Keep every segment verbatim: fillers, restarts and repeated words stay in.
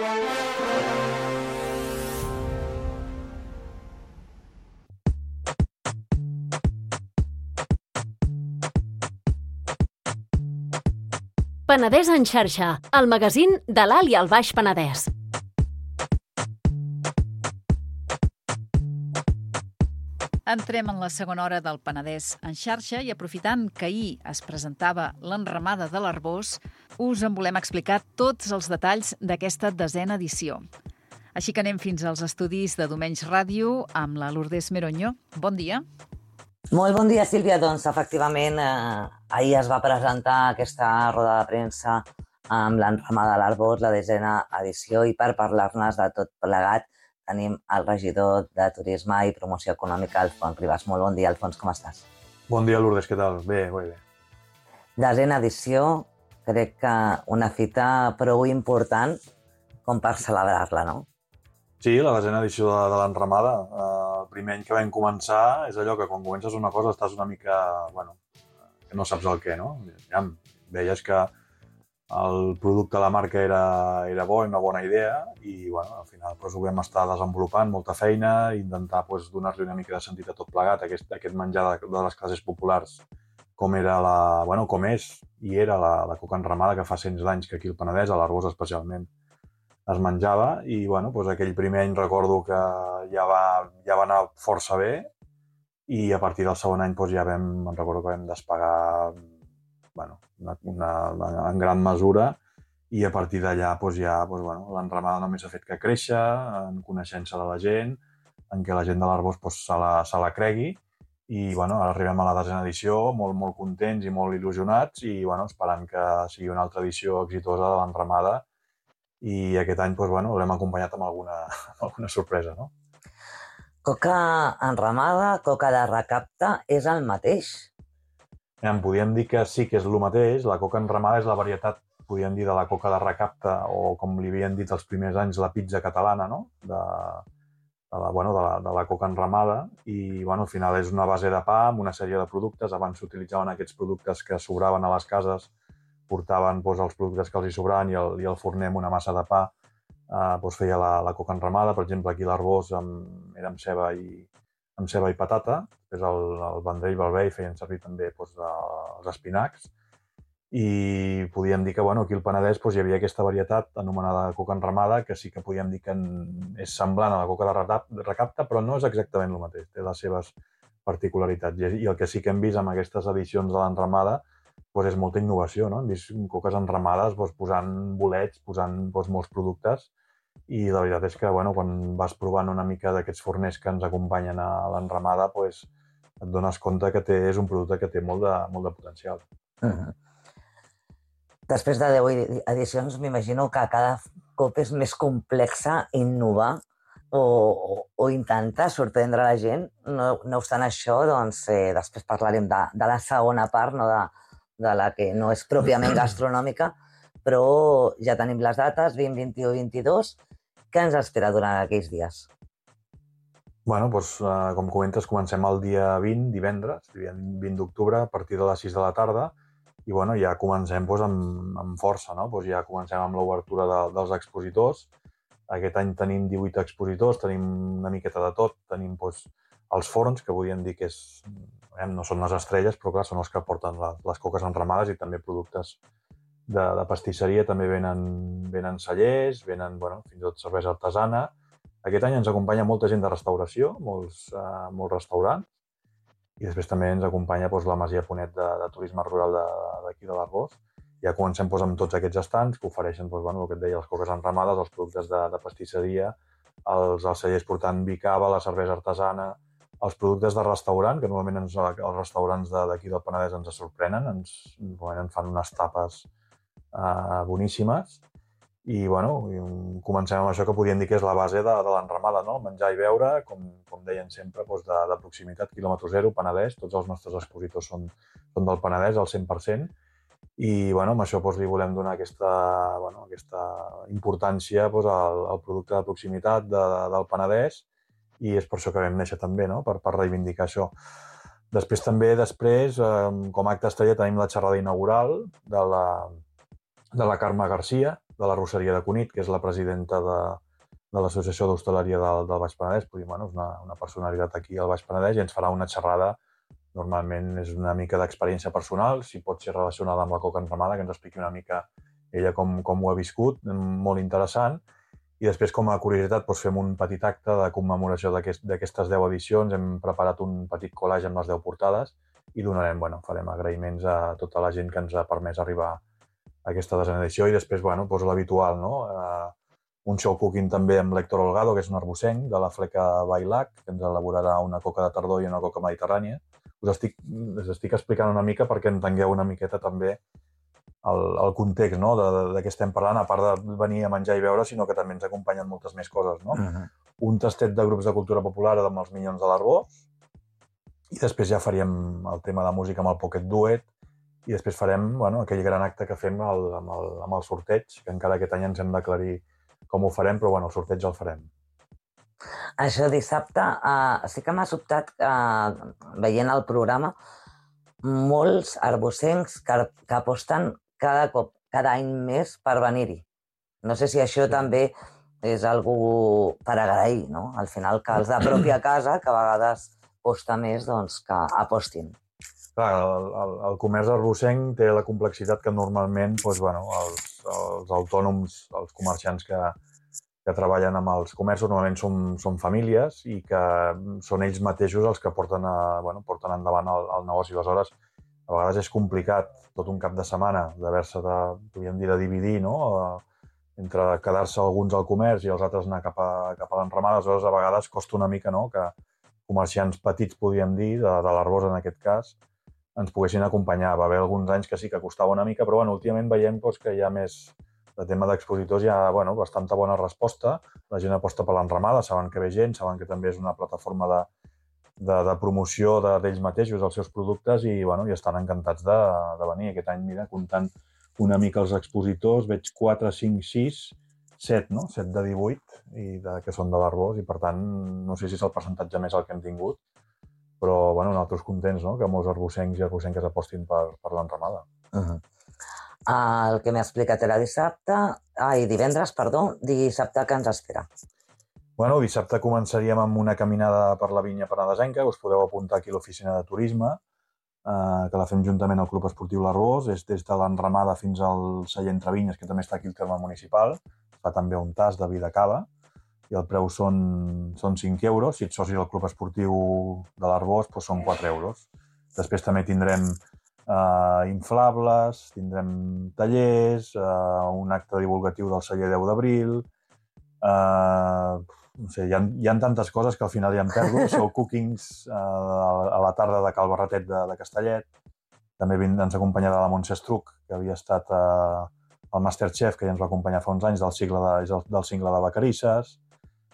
Penedès en xarxa, el magazín de l'Alt i el Baix Penedès. Entrem en la segona hora del Penedès en xarxa i aprofitant que ahir es presentava l'enramada de l'Arboç, us en volem explicar tots els detalls d'aquesta desena edició. Així que anem fins als estudis de Domenys Ràdio amb la Lourdes Meroño. Bon dia. Molt bon dia, Sílvia. Doncs, efectivament, eh, ahir es va presentar aquesta roda de premsa amb l'enramada de l'Arboç, la desena edició, i per parlar-nos de tot plegat tenim el regidor de Turisme i Promoció Econòmica, Alfons Ribas. Molt bon dia, Alfons, com estàs? Bon dia, Lourdes, què tal? Bé, bé, bé. Desena edició, crec que una fita prou important com per celebrar-la, no? Sí, la desena edició de, de l'enramada. Eh, el primer any que vam començar és allò que quan comences una cosa estàs una mica, bueno, que no saps el què, no? Ja veies que el producte de la marca era, era bo, una bona idea, i bueno, al final doncs, ho vam estar desenvolupant, molta feina, i intentar doncs, donar-li una mica de sentit a tot plegat, aquest, aquest menjar de, de les classes populars, com era la, bueno, com és i era la, la coca enramada, que fa cents d'anys que aquí al Penedès, a l'Arboç especialment, es menjava, i bueno, doncs, aquell primer any recordo que ja va, ja va anar força bé, i a partir del segon any doncs, ja vam, em recordo que vam despegar bueno, una, una, en gran mesura, i a partir d'allà doncs, ja doncs, bueno, l'enramada només ha fet que créixer, en coneixença de la gent, en què la gent de l'Arboç doncs, se, la, se la cregui, i bueno, ara arribem a la desena edició, molt, molt contents i molt il·lusionats, i bueno, esperant que sigui una altra edició exitosa de l'enramada, i aquest any doncs, bueno, l'hem acompanyat amb alguna, amb alguna sorpresa, no? Coca enramada, coca de recapte, és el mateix? En podríem dir que sí que és el mateix. La coca enramada és la varietat, podríem dir, de la coca de recapte, o com li havien dit els primers anys, la pizza catalana, no? De, de, la, bueno, de, la, de la coca enramada. I bueno, al final és una base de pa amb una sèrie de productes. Abans s'utilitzaven aquests productes que sobraven a les cases, portaven doncs, els productes que els hi sobraven, i el, i el forner amb una massa de pa eh, doncs, feia la, la coca enramada. Per exemple, aquí l'Arboç era amb ceba i, amb ceba i patata. Després el, el Vendrell i el Bei feien servir també doncs, de, els espinacs. I podíem dir que bueno, aquí al Penedès doncs, hi havia aquesta varietat anomenada coca enramada, que sí que podíem dir que és semblant a la coca de recapte, però no és exactament el mateix. Té les seves particularitats. I el que sí que hem vist amb aquestes edicions de l'enramada doncs és molta innovació, no? Hem vist coques enramades doncs, posant bolets, posant doncs, molts productes, i la veritat és que bueno, quan vas provant una mica d'aquests forners que ens acompanyen a l'enramada doncs, et dones compte que té, és un producte que té molt de, molt de potencial. Uh-huh. Després de deu edicions, m'imagino que cada cop és més complexa innovar o, o, o intentar sorprendre la gent. No, no obstant això, doncs, eh, després parlarem de, de la segona part, no de, de la que no és pròpiament gastronòmica, però ja tenim les dates, vint, vint-i-u, vint-i-dos. Què ens espera durant aquells dies? Bueno, doncs, eh, com comentes, comencem el dia vint, divendres, vint d'octubre, a partir de les sis de la tarda, i bueno, ja comencem doncs, amb, amb força, no? Doncs ja comencem amb l'obertura de, dels expositors. Aquest any tenim divuit expositors, tenim una miqueta de tot, tenim doncs, els forns, que podríem dir que és, eh, no són les estrelles, però clar, són els que porten les, les coques enramades, i també productes de, de pastisseria, també venen, venen cellers, venen bueno, fins i tot cervesa artesana. Aquest any ens acompanya molta gent de restauració, molts, eh, molts restaurants, i després també ens acompanya doncs, la Masia Ponet de, de turisme rural d'aquí de, de l'Arboç. Ja comencem doncs, amb tots aquests estands que ofereixen doncs, bueno, el que et deia, les coques enramades, els productes de, de pastisseria, els, els cellers portant vi cava, la cervesa artesana, els productes de restaurant, que normalment ens, els restaurants d'aquí de, del Penedès ens sorprenen, ens, ens fan unes tapes eh, boníssimes. I bueno, comencem amb això que podríem dir que és la base de, de l'enramada, no? Menjar i beure, com, com deien sempre, doncs de, de proximitat, quilòmetre zero, Penedès. Tots els nostres expositors són, són del Penedès, al cent per cent. I bueno, amb això doncs, li volem donar aquesta, bueno, aquesta importància doncs, al, al producte de proximitat de, de, del Penedès, i és per això que vam néixer també, no? per, per reivindicar això. Després també, després, eh, com a acte estrella, tenim la xerrada inaugural de la, de la Carme Garcia, de l'arrosseria de Cunit, que és la presidenta de, de l'Associació d'Hostaleria del, del Baix Penedès. Vull dir, bueno, és una, una personalitat aquí al Baix Penedès i ens farà una xerrada. Normalment és una mica d'experiència personal, si pot ser relacionada amb la coca enramada, que ens expliqui una mica ella com, com ho ha viscut, molt interessant. I després, com a curiositat, doncs fem un petit acte de commemoració d'aquestes deu edicions. Hem preparat un petit collage amb les deu portades i donarem, bueno, farem agraïments a tota la gent que ens ha permès arribar a aquesta desena edició. I després, bueno, doncs l'habitual, no? Uh, un show cooking també amb l'Héctor Holgado, que és un arbocenc de la fleca Bailac, que ens elaborarà una coca de tardor i una coca mediterrània. Us estic, us estic explicant una mica perquè entengueu una miqueta també el, el context, no? de, de, de què estem parlant, a part de venir a menjar i beure, sinó que també ens acompanyen moltes més coses. No? Uh-huh. Un tastet de grups de cultura popular amb els Minyons de l'Arbós, i després ja faríem el tema de música amb el Pocket Duet, i després farem bueno, aquell gran acte que fem el, amb, el, amb el sorteig, que encara aquest any ens hem d'aclarir com ho farem, però bueno, el sorteig el farem. Això dissabte, uh, sí que m'ha sobtat, uh, veient el programa, molts arbocencs que, que aposten cada cop, cada any més per venir-hi. No sé si això sí. també és algú per agrair, no? Al final, que els de pròpia casa, que a vegades costa més, doncs que apostin. Clar, el, el, el comerç arbocenc té la complexitat que normalment doncs, bueno, els, els autònoms, els comerciants que, que treballen amb els comerços normalment són, són famílies i que són ells mateixos els que porten, a, bueno, porten endavant el, el negoci. Aleshores, a vegades és complicat tot un cap de setmana d'haver-se de, podríem dir, de dividir, no? Entre quedar-se alguns al comerç i els altres anar cap a, cap a l'enramada. Aleshores, a vegades costa una mica, no? Que comerciants petits, podríem dir, de, de l'Arbós en aquest cas, ens poguessin acompanyar. Va haver alguns anys que sí que costava una mica, però bueno, últimament veiem doncs, que hi ha més... de tema d'expositors hi ha bueno, bastanta bona resposta. La gent aposta per l'enramada, saben que ve gent, saben que també és una plataforma de, de, de promoció d'ells mateixos, dels seus productes, i, bueno, i estan encantats de, de venir. Aquest any, mira, comptant una mica els expositors, veig quatre, cinc, sis, set, no? set de divuit, i de, que són de l'Arbós, i per tant, no sé si és el percentatge més el que hem tingut, però bueno, nosaltres contents, no? Que molts arbocencs i arbocenques apostin per, per l'enramada. Uh-huh. El que m'ha explicat era dissabte, ai, divendres, perdó, dissabte que ens espera. Bueno, dissabte començaríem amb una caminada per la vinya penedesenca, us podeu apuntar aquí a l'oficina de turisme, eh, que la fem juntament al Club Esportiu l'Arbós, és des de l'enramada fins al celler Entre Vinyes, que també està aquí al terme municipal, fa també un tas de vi de cava, i el preu són, són cinc euros, si ets soci del Club Esportiu de l'Arbós, doncs són quatre euros. Després també tindrem Uh, inflables, tindrem tallers, uh, un acte divulgatiu del celler deu d'abril, uh, no sé, hi ha, hi ha tantes coses que al final ja em perdo. Sou cookings uh, a la tarda de Cal Barretet de, de Castellet. També ens acompanyarà la Montse Estruc, que havia estat uh, el Masterchef, que ja ens va acompanyar fa uns anys, del cicle de, del, del cingle de Vacarisses.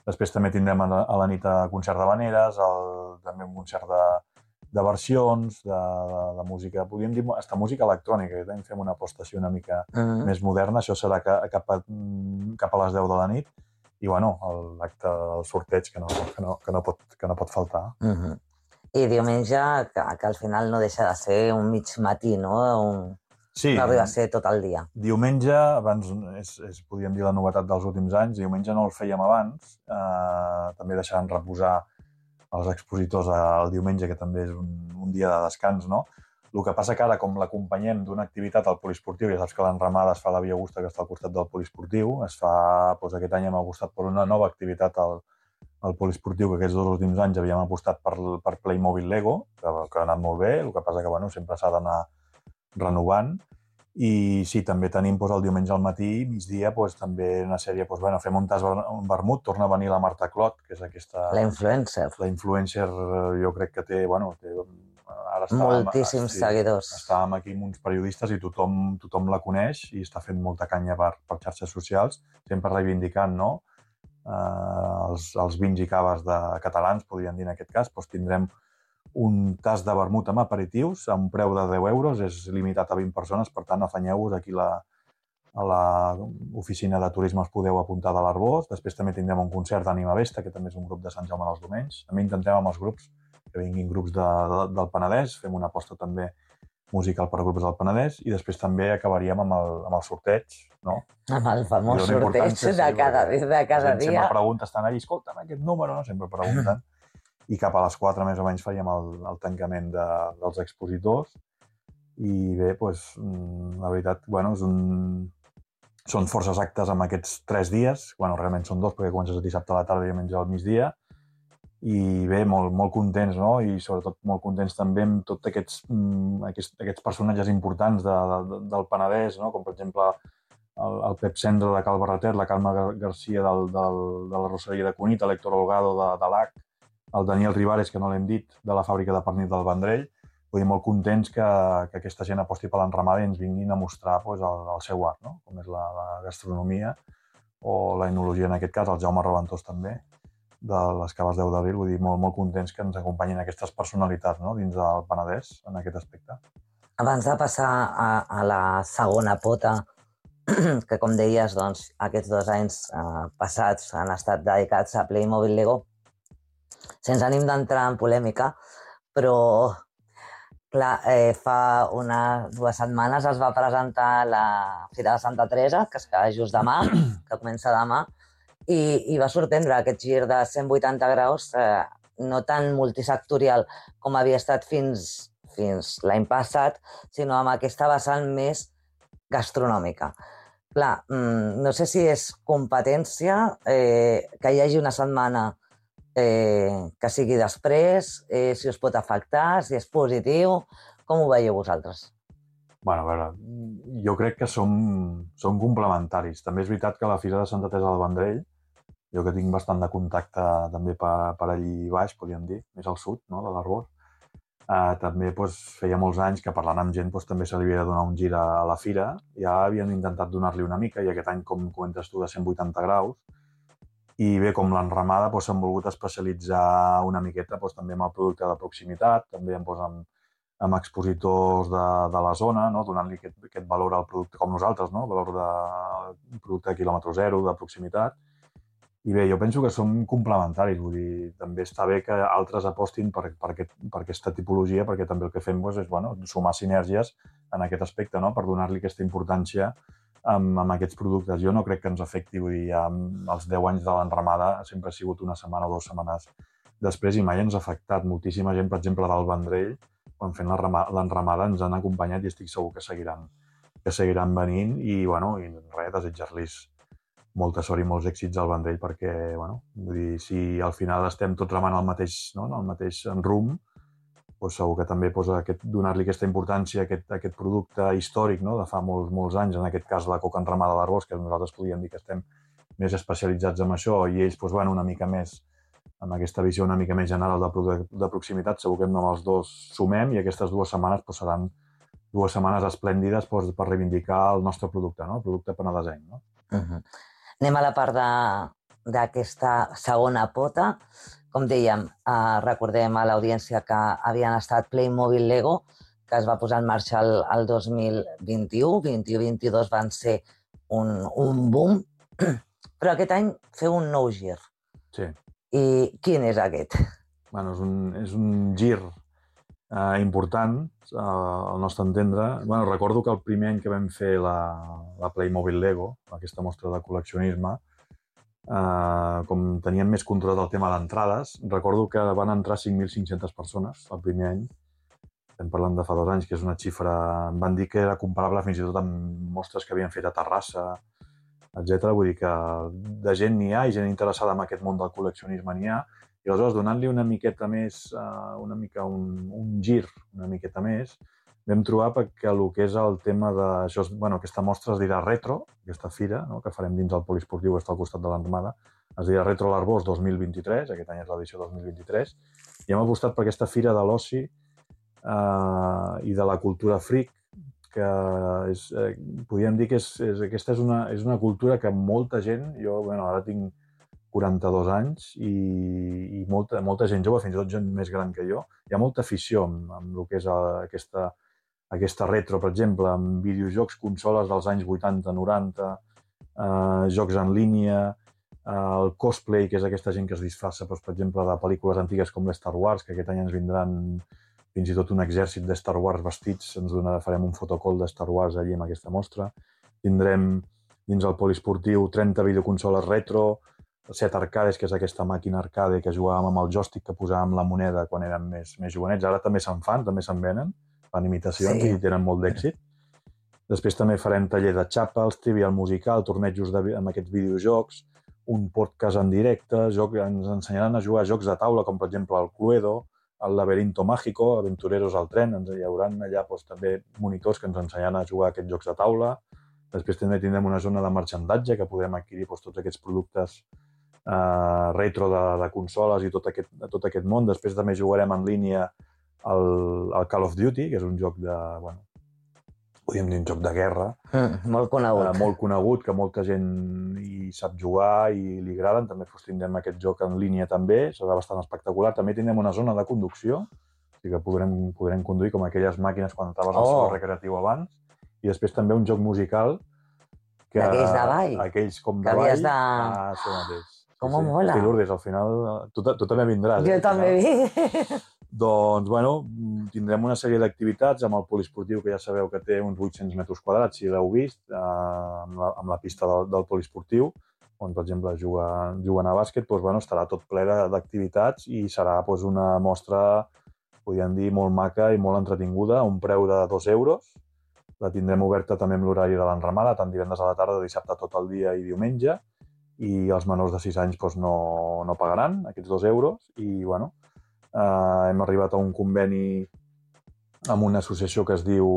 Després també tindrem a la, a la nit a concert d'habaneres, també un concert de de versions, de, de, de música, podríem dir, hasta música electrònica, que fem una apostació una mica uh-huh. més moderna, això serà cap a, cap a les deu de la nit, i bueno, l'acte del sorteig que no, que no, que no, pot, que no pot faltar. Uh-huh. I diumenge, que, que al final no deixa de ser un mig matí, no? Un... Sí. No arriba a ser tot el dia. Diumenge, abans, és, és, podríem dir, la novetat dels últims anys, diumenge no el fèiem abans, eh, també deixaran reposar els expositors el diumenge, que també és un, un dia de descans, no? El que passa que ara, com l'acompanyem d'una activitat al poliesportiu, ja saps que l'enramada es fa a la Via Augusta, que està al costat del poliesportiu, es fa, doncs aquest any hem apostat per una nova activitat al, al poliesportiu, que aquests dos últims anys havíem apostat per, per Playmobil Lego, que, que ha anat molt bé, el que passa que bueno, sempre s'ha d'anar renovant. I sí, també tenim doncs, el diumenge al matí, migdia, doncs, també una sèrie, doncs, bueno, fem un tas un vermut, torna a venir la Marta Clot, que és aquesta... La influencer. La influencer, jo crec que té, bueno, té, ara estàvem, moltíssims sí, seguidors. Estàvem aquí amb uns periodistes i tothom, tothom la coneix i està fent molta canya per, per xarxes socials, sempre reivindicant, no? Eh, els, els vins i caves de catalans, podríem dir en aquest cas, doncs tindrem un tas de vermut amb aperitius a un preu de deu euros, és limitat a vint persones, per tant, afanyeu-vos aquí la, a l'oficina de turisme us podeu apuntar de l'Arbós. Després també tindrem un concert d'Ànima Vesta, que també és un grup de Sant Jaume dels Domenys. També intentem amb els grups que vinguin grups de, de, del Penedès, fem una aposta també musical per grups del Penedès, i després també acabaríem amb el, amb el sorteig, no? Amb el famós I dona sorteig importància, de sí, cada, perquè de la cada gent dia. sempre pregunta, estan allà, escolta'm aquest número, no? Sempre pregunten. I cap a les quatre més o menys faríem el, el tancament de, dels expositors. I bé, doncs, la veritat, bueno, és un... són forces actes amb aquests tres dies. Bueno, realment són dos, perquè comences el dissabte a la tarda i diumenge al migdia. I bé, molt, molt contents, no? I sobretot molt contents també amb tots aquests, aquests, aquests personatges importants de, de, del Penedès, no? Com per exemple el, el Pep Cendra de Cal Barretet, la Carme Garcia del, del, de la Roseria de Cunit, l'Héctor Holgado de, de l'A C, el Daniel Ribares, que no l'hem dit, de la fàbrica de pernil del Vendrell. Vull dir, molt contents que, que aquesta gent aposti per l'enramada i ens vinguin a mostrar pues, el, el seu art, no? Com és la, la gastronomia o la enologia en aquest cas, el Jaume Reventós també, de les Caves deu d'abril. Vull dir, molt, molt contents que ens acompanyin aquestes personalitats, no? Dins del Penedès en aquest aspecte. Abans de passar a, a la segona pota, que com deies, doncs, aquests dos anys eh, passats han estat dedicats a Playmobil Lego, sense ànim d'entrar en polèmica, però clar, eh, fa unes dues setmanes es va presentar la Fira de Santa Teresa, que es queda just demà, que comença demà, i, i va sorprendre aquest gir de cent vuitanta graus, eh, no tan multisectorial com havia estat fins, fins l'any passat, sinó amb aquesta vessant més gastronòmica. Clar, no sé si és competència eh, que hi hagi una setmana eh, que sigui després, eh, si us pot afectar, si és positiu, com ho veieu vosaltres? Bueno, a veure, jo crec que som, som complementaris. També és veritat que la Fira de Santa Teresa del Vendrell, jo que tinc bastant de contacte també per, per allí baix, podríem dir, més al sud, no?, de l'Arbós, eh, també pues, feia molts anys que parlant amb gent pues, també se li havia de donar un gir a, a la fira. Ja havien intentat donar-li una mica, i aquest any, com comentes tu, de cent vuitanta graus. I bé, com l'enramada, pues, s'han volgut especialitzar una miqueta pues, també amb el producte de proximitat, també pues, amb, amb expositors de, de la zona, no? Donant-li aquest, aquest valor al producte, com nosaltres, no? Valor de producte de quilòmetre zero, de proximitat. I bé, jo penso que som complementaris, vull dir, també està bé que altres apostin per, per, aquest, per aquesta tipologia, perquè també el que fem doncs, és bueno, sumar sinergies en aquest aspecte, no? Per donar-li aquesta importància amb, amb aquests productes. Jo no crec que ens afecti, vull dir, ja els deu anys de l'enramada sempre ha sigut una setmana o dues setmanes després i mai ens ha afectat. Moltíssima gent, per exemple, del Vendrell, quan fent l'enramada ens han acompanyat i estic segur que seguiran, que seguiran venint i, bueno, i res, desitjar-los molta sort i molts èxits al Vendrell perquè, bueno, vull dir, si al final estem tots remant el mateix, no? El mateix rumb, doncs segur que també doncs, aquest, donar-li aquesta importància a aquest, a aquest producte històric, no? De fa molts, molts anys, en aquest cas la coca enramada de l'Arbós, que nosaltres podríem dir que estem més especialitzats en això, i ells doncs, van una mica més amb aquesta visió una mica més general de, producte, de proximitat. Segur que amb els dos sumem i aquestes dues setmanes doncs, seran dues setmanes esplèndides doncs, per reivindicar el nostre producte, no? El producte penedesenc, no? Uh-huh. Anem a la part d'aquesta segona pota. Com dèiem, eh, recordem a l'audiència que havien estat Playmobil Lego, que es va posar en marxa el, el dos mil vint-i-u. vint-i-u vint-i-dos van ser un, un boom, però aquest any feu un nou gir. Sí. I quin és aquest? Bueno, és un, és un gir eh, important, eh, al nostre entendre. Bueno, recordo que el primer any que vam fer la, la Playmobil Lego, aquesta mostra de col·leccionisme, eh, com teníem més control del tema d'entrades, recordo que van entrar cinc mil cinc-centes persones el primer any. Estem parlant de fa dos anys, que és una xifra... Em van dir que era comparable fins i tot amb mostres que havien fet a Terrassa, etcètera. Vull dir que de gent n'hi ha i gent interessada en aquest món del col·leccionisme n'hi ha. I aleshores, donant-li una miqueta més, uh, una mica un, un gir, una miqueta més, vam trobar que el que és el tema de... Això és, bueno, aquesta mostra es dirà Retro, aquesta fira, no?, que farem dins el poliesportiu, que està al costat de l'Armada, es dirà Retro l'Arbós dos mil vint-i-tres, aquest any és l'edició dos mil vint-i-tres, i hem apostat per aquesta fira de l'oci uh, i de la cultura freak, que és, eh, podríem dir que és, és, aquesta és una, és una cultura que molta gent, jo bueno, ara tinc quaranta-dos anys i, i molta, molta gent jove, fins i tot gent més gran que jo, hi ha molta afició amb, amb el que és aquesta, aquesta retro, per exemple, amb videojocs, consoles dels anys vuitanta noranta, eh, jocs en línia, eh, el cosplay, que és aquesta gent que es disfressa, doncs, per exemple, de pel·lícules antigues com l'Star Wars, que aquest any ens vindran fins i tot un exèrcit de Star Wars vestits, ens donarà, farem un fotocall de Star Wars allí amb aquesta mostra. Tindrem dins el poliesportiu trenta videoconsoles retro, set arcades, que és aquesta màquina arcade que jugàvem amb el joystick que posàvem la moneda quan érem més, més jovenets. Ara també se'n fan, també se'n venen, fan imitacions sí. I tenen molt d'èxit. Després també farem taller de xapels, trivial musical, tornejos de, amb aquests videojocs, un podcast en directe, joc, ens ensenyaran a jugar a jocs de taula, com per exemple el Cluedo, el Laberinto Mágico, Aventureros al tren, ens hi haurà allà doncs, també monitors que ens ensenyaran a jugar a aquests jocs de taula. Després també tindrem una zona de marxandatge que podrem adquirir doncs, tots aquests productes eh, retro de, de consoles i tot aquest, tot aquest món. Després també jugarem en línia el, el Call of Duty, que és un joc de, bueno, podríem dir un joc de guerra. Mm, molt conegut. Eh, molt conegut, que molta gent hi sap jugar i li agraden. També doncs, tindrem aquest joc en línia també, serà bastant espectacular. També tindrem una zona de conducció, o sigui que podrem, podrem conduir com aquelles màquines quan estaves al oh. saló recreatiu abans. I després també un joc musical que... Aquells de ball. Aquells com de ball. De... Ah, això mateix. Com sí, sí. mola. Sí, Lourdes, al final tu, tu també vindràs. Jo eh, també vinc. Doncs, bueno, tindrem una sèrie d'activitats amb el poliesportiu, que ja sabeu que té uns vuit-cents metres quadrats, si l'heu vist, eh, amb, la, amb la pista del, del poliesportiu, on, per exemple, juguen, juguen a bàsquet, doncs, bueno, estarà tot ple d'activitats i serà doncs, una mostra, podríem dir, molt maca i molt entretinguda, a un preu de dos euros. La tindrem oberta també amb l'horari de l'enramada, tant divendres a la tarda, dissabte tot el dia i diumenge, i els menors de sis anys doncs, no, no pagaran aquests dos euros. I, bueno, eh, hem arribat a un conveni amb una associació que es diu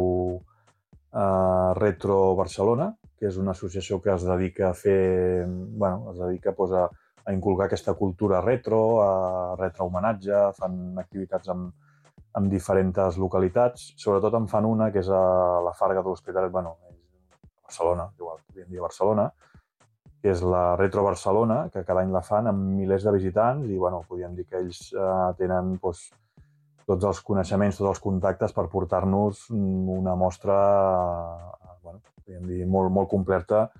eh, Retro Barcelona, que és una associació que es dedica a fer, bueno, es dedica doncs, a, a inculcar aquesta cultura retro, a retrohomenatge, fan activitats amb en diferents localitats. Sobretot en fan una, que és a la Farga de l'Hospitalet, bueno, a Barcelona, igual podríem dir Barcelona, que és la Retro Barcelona, que cada any la fan amb milers de visitants i, bueno, podríem dir que ells eh, tenen doncs, tots els coneixements, tots els contactes per portar-nos una mostra, eh, bueno, podríem dir, molt, molt completa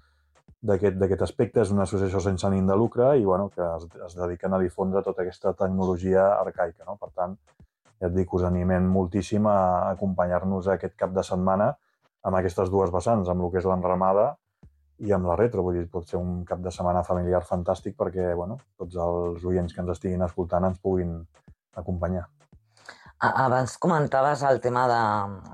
d'aquest aspecte. És una associació sense ànim de lucre i, bueno, que es, es dediquen a difondre tota aquesta tecnologia arcaica, no? Per tant, ja et dic, us animem moltíssim a acompanyar-nos aquest cap de setmana amb aquestes dues vessants, amb el que és l'enramada i amb la retro. Vull dir, pot ser un cap de setmana familiar fantàstic perquè, bueno, tots els oients que ens estiguin escoltant ens puguin acompanyar. Abans comentaves el tema de,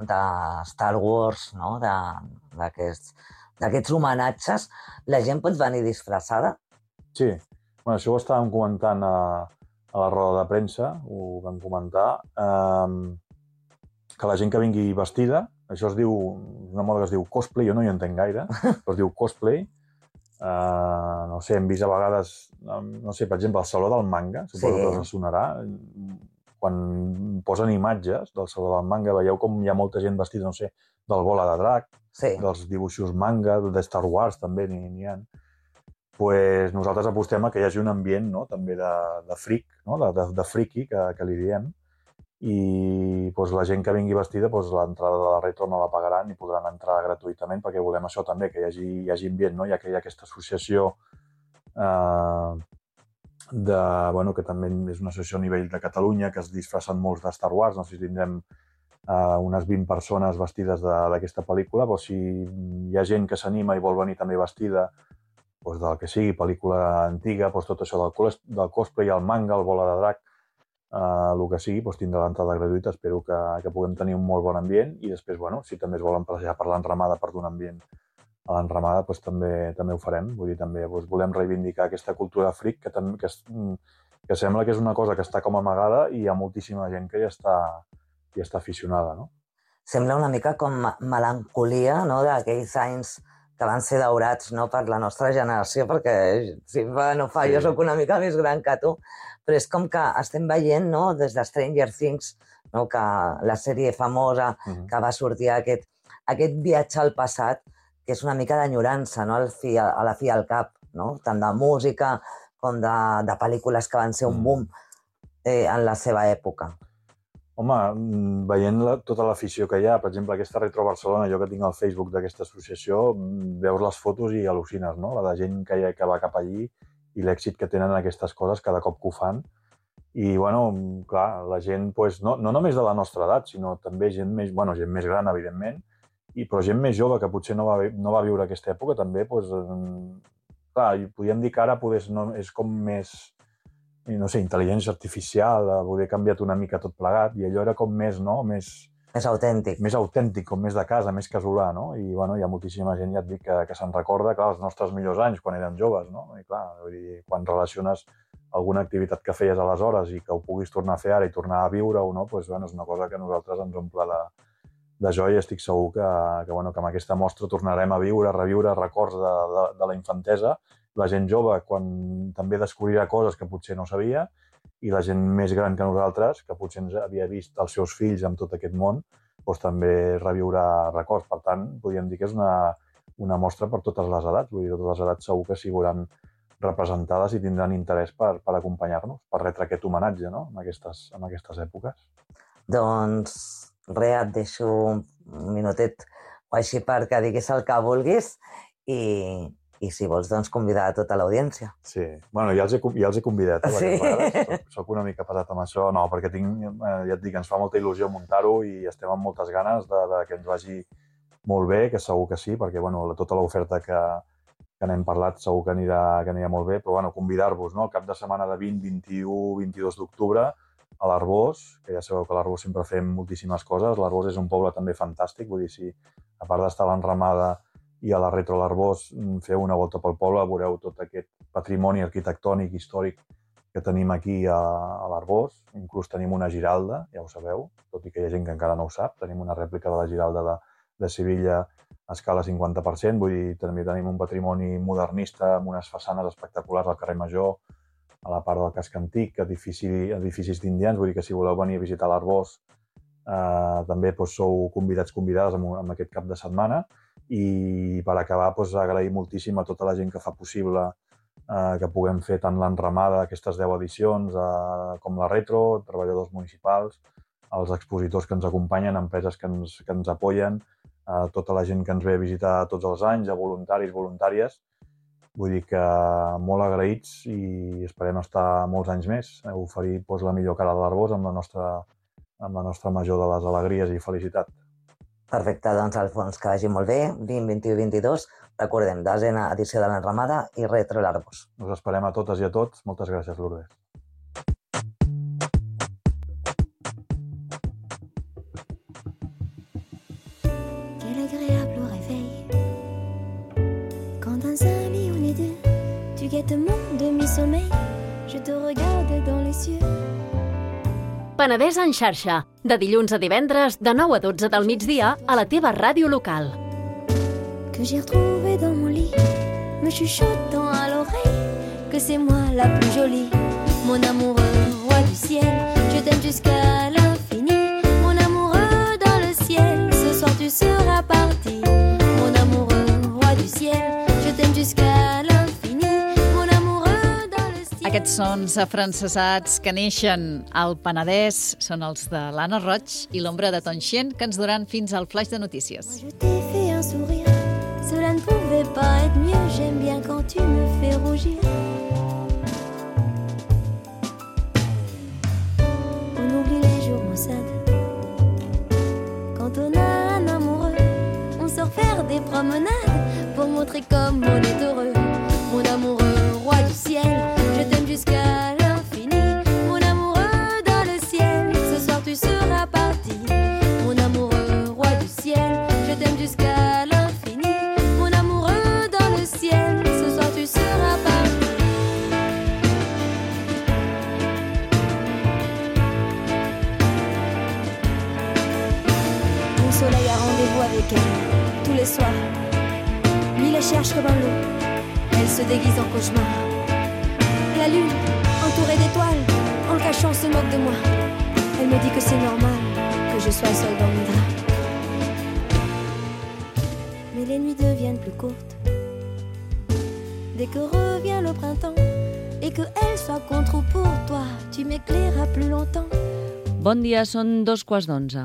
de Star Wars, no? D'aquests homenatges. La gent pot venir disfressada? Sí. Bueno, això ho estàvem comentant a, a la roda de premsa, ho vam comentar, eh, que la gent que vingui vestida, això es diu, una moda que es diu cosplay, jo no hi entenc gaire, però es diu cosplay. Eh, no sé, hem vist a vegades, no sé, per exemple, el Saló del Manga, suposo sí. que us sonarà, quan posen imatges del Saló del Manga, veieu com hi ha molta gent vestida, no sé, del Bola de Drac, sí. dels dibuixos manga, de Star Wars també n'hi ha. Pues nosaltres apostem a que hi hagi un ambient, no? També de, de freak, no? de, de, de friki, que, que li diem, i pues, la gent que vingui vestida, pues, l'entrada de la retro no la pagaran i podran entrar gratuïtament, perquè volem això també, que hi hagi, hi hagi ambient, no? Ja que hi ha aquesta associació eh, de, bueno, que també és una associació a nivell de Catalunya, que es disfressen molts de Star Wars, no sé si tindrem eh, unes vint persones vestides d'aquesta pel·lícula, pues, si hi ha gent que s'anima i vol venir també vestida doncs del que sigui, pel·lícula antiga, doncs tot això del, del cosplay, el manga, el Bola de Drac, eh, el que sigui, doncs tindrà l'entrada gratuïta. Espero que, que puguem tenir un molt bon ambient i després, bueno, si també es volen passejar per l'enramada per donar ambient a l'enramada, doncs també, també ho farem. Vull dir, també doncs, volem reivindicar aquesta cultura freak que, que, que sembla que és una cosa que està com amagada i hi ha moltíssima gent que ja està, ja està aficionada, no? Sembla una mica com melancolia, no?, d'aquells anys que van ser daurats, no?, per la nostra generació, perquè si no fa, sí. jo sóc una mica més gran que tu, però és com que estem veient, no?, des de Stranger Things, no?, que la sèrie famosa uh-huh. que va sortir aquest, aquest viatge al passat, que és una mica d'enyorança, no?, al fi, a la fi al cap, no?, tant de música com de, de pel·lícules que van ser un boom eh, en la seva època. Home, veient la, tota l'afició que hi ha, per exemple, aquesta Retro Barcelona, jo que tinc al Facebook d'aquesta associació, veus les fotos i al·lucines, no? La de gent que, hi ha, que va cap allí i l'èxit que tenen aquestes coses cada cop que ho fan. I, bueno, clar, la gent, pues, no, no només de la nostra edat, sinó també gent més, bueno, gent més gran, evidentment, i, però gent més jove que potser no va, no va viure aquesta època, també, pues, clar, podríem dir que ara pues, no, és com més, no sé, intel·ligència artificial, poder canviat una mica tot plegat, i allò era com més, no?, més... Més autèntic. Més autèntic, com més de casa, més casolà, no? I, bueno, hi ha moltíssima gent, ja et dic, que, que se'n recorda, clar, els nostres millors anys, quan érem joves, no? I, clar, vull dir, quan relaciones alguna activitat que feies aleshores i que ho puguis tornar a fer ara i tornar a viure-ho, no? Pues, bueno, és una cosa que a nosaltres ens omple de, de joia i estic segur que, que, bueno, que amb aquesta mostra tornarem a viure, a reviure records de, de, de la infantesa. La gent jove, quan també descobrirà coses que potser no sabia, i la gent més gran que nosaltres, que potser ens havia vist els seus fills amb tot aquest món, doncs també reviurà records. Per tant, podríem dir que és una, una mostra per totes les edats. Vull dir, totes les edats segur que s'hi veuran representades i tindran interès per, per acompanyar-nos, per retre aquest homenatge, no?, en aquestes, en aquestes èpoques. Doncs res, et deixo un minutet o així perquè diguis el que vulguis i... I si vols, doncs, convidar a tota l'audiència. Sí. Bueno, ja els he, ja els he convidat. Eh, sí. Soc, soc una mica pesat amb això. No, perquè tinc, eh, ja et dic, ens fa molta il·lusió muntar-ho i estem amb moltes ganes de, de que ens vagi molt bé, que segur que sí, perquè bueno, tota l'oferta que, que n'hem parlat segur que anirà, que anirà molt bé, però bueno, convidar-vos, no?, el cap de setmana de vint, vint-i-u, vint-i-dos d'octubre a l'Arbós, que ja sabeu que a l'Arbós sempre fem moltíssimes coses. L'Arbós és un poble també fantàstic, vull dir, si a part d'estar a l'enramada i a la Retro l'Arbós feu una volta pel poble, veureu tot aquest patrimoni arquitectònic, històric que tenim aquí a, a l'Arbós. Inclús tenim una Giralda, ja ho sabeu, tot i que hi ha gent que encara no ho sap. Tenim una rèplica de la Giralda de, de Sevilla a escala cinquanta per cent, vull dir, també tenim un patrimoni modernista amb unes façanes espectaculars al carrer Major, a la part del casc antic, edifici, edificis d'indians, vull dir que si voleu venir a visitar l'Arbós eh, també doncs, sou convidats, convidades amb, amb aquest cap de setmana. I per acabar, doncs, agrair moltíssim a tota la gent que fa possible eh, que puguem fer tant l'enramada, aquestes deu edicions, eh, com la Retro, treballadors municipals, els expositors que ens acompanyen, empreses que ens, que ens apoyen, eh, tota la gent que ens ve a visitar tots els anys, a voluntaris, voluntàries. Vull dir que molt agraïts i esperem estar molts anys més, eh, oferir doncs, la millor cara de l'Arbós amb la nostra, amb la nostra major de les alegries i felicitat. Perfecte, doncs, Alfons, que vagi molt bé. vint, vint-i-u, vint-i-dos. Recordem, desena edició de l'enramada i Retro l'Arbós. Us esperem a totes i a tots. Moltes gràcies, Lourdes. Quel agréable réveil. Quand dans un lit on est deux, tu guettes mon demi-sommeil, je te regarde dans les yeux. Penedès en xarxa, de dilluns a divendres, de nou a dotze del migdia, a la teva ràdio local. Que j'ai retrouvé dans mon lit, me chuchotant à l'oreille, que c'est moi la plus jolie, mon amoureux, roi du ciel, je t'aime jusqu'à l'infini, mon amoureux dans le ciel, ce soir tu seras parti, mon amoureux, roi du ciel, je t'aime jusqu'à l'infini. Aquests sons afrancesats que neixen al Penedès són els de l'Anna Roig i l'ombra de Tonxien, que ens duran fins al flash de notícies. Je t'ai fait un sourire, cela ne pouvait pas être mieux, j'aime bien quand tu me fais rougir. On oublie les jours maussades, quand on a un amoureux, on sort faire des promenades pour montrer comme on est heureux. Mon amoureux, roi du ciel, je t'aime jusqu'à l'infini, mon amoureux dans le ciel, ce soir tu seras parti, mon amoureux, roi du ciel, je t'aime jusqu'à l'infini, mon amoureux dans le ciel, ce soir tu seras parti. Mon soleil a rendez-vous avec elle, tous les soirs, lui la cherche comme un loup, elle se déguise en cauchemar. La lune, entourée d'étoiles, en le cachant se moque de moi. Elle me dit que c'est normal que je sois seule dans mes draps. Mais les nuits deviennent plus courtes dès que revient le printemps et que elle soit contre ou pour toi, tu m'éclairas plus longtemps. Bon dia, són dos quarts d'onze.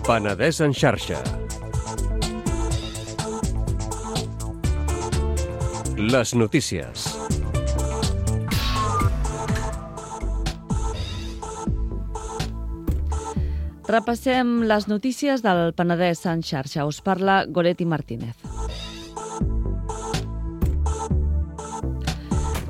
Penedès en xarxa. Les notícies. Repassem les notícies del Penedès en xarxa. Us parla Goretti Martínez.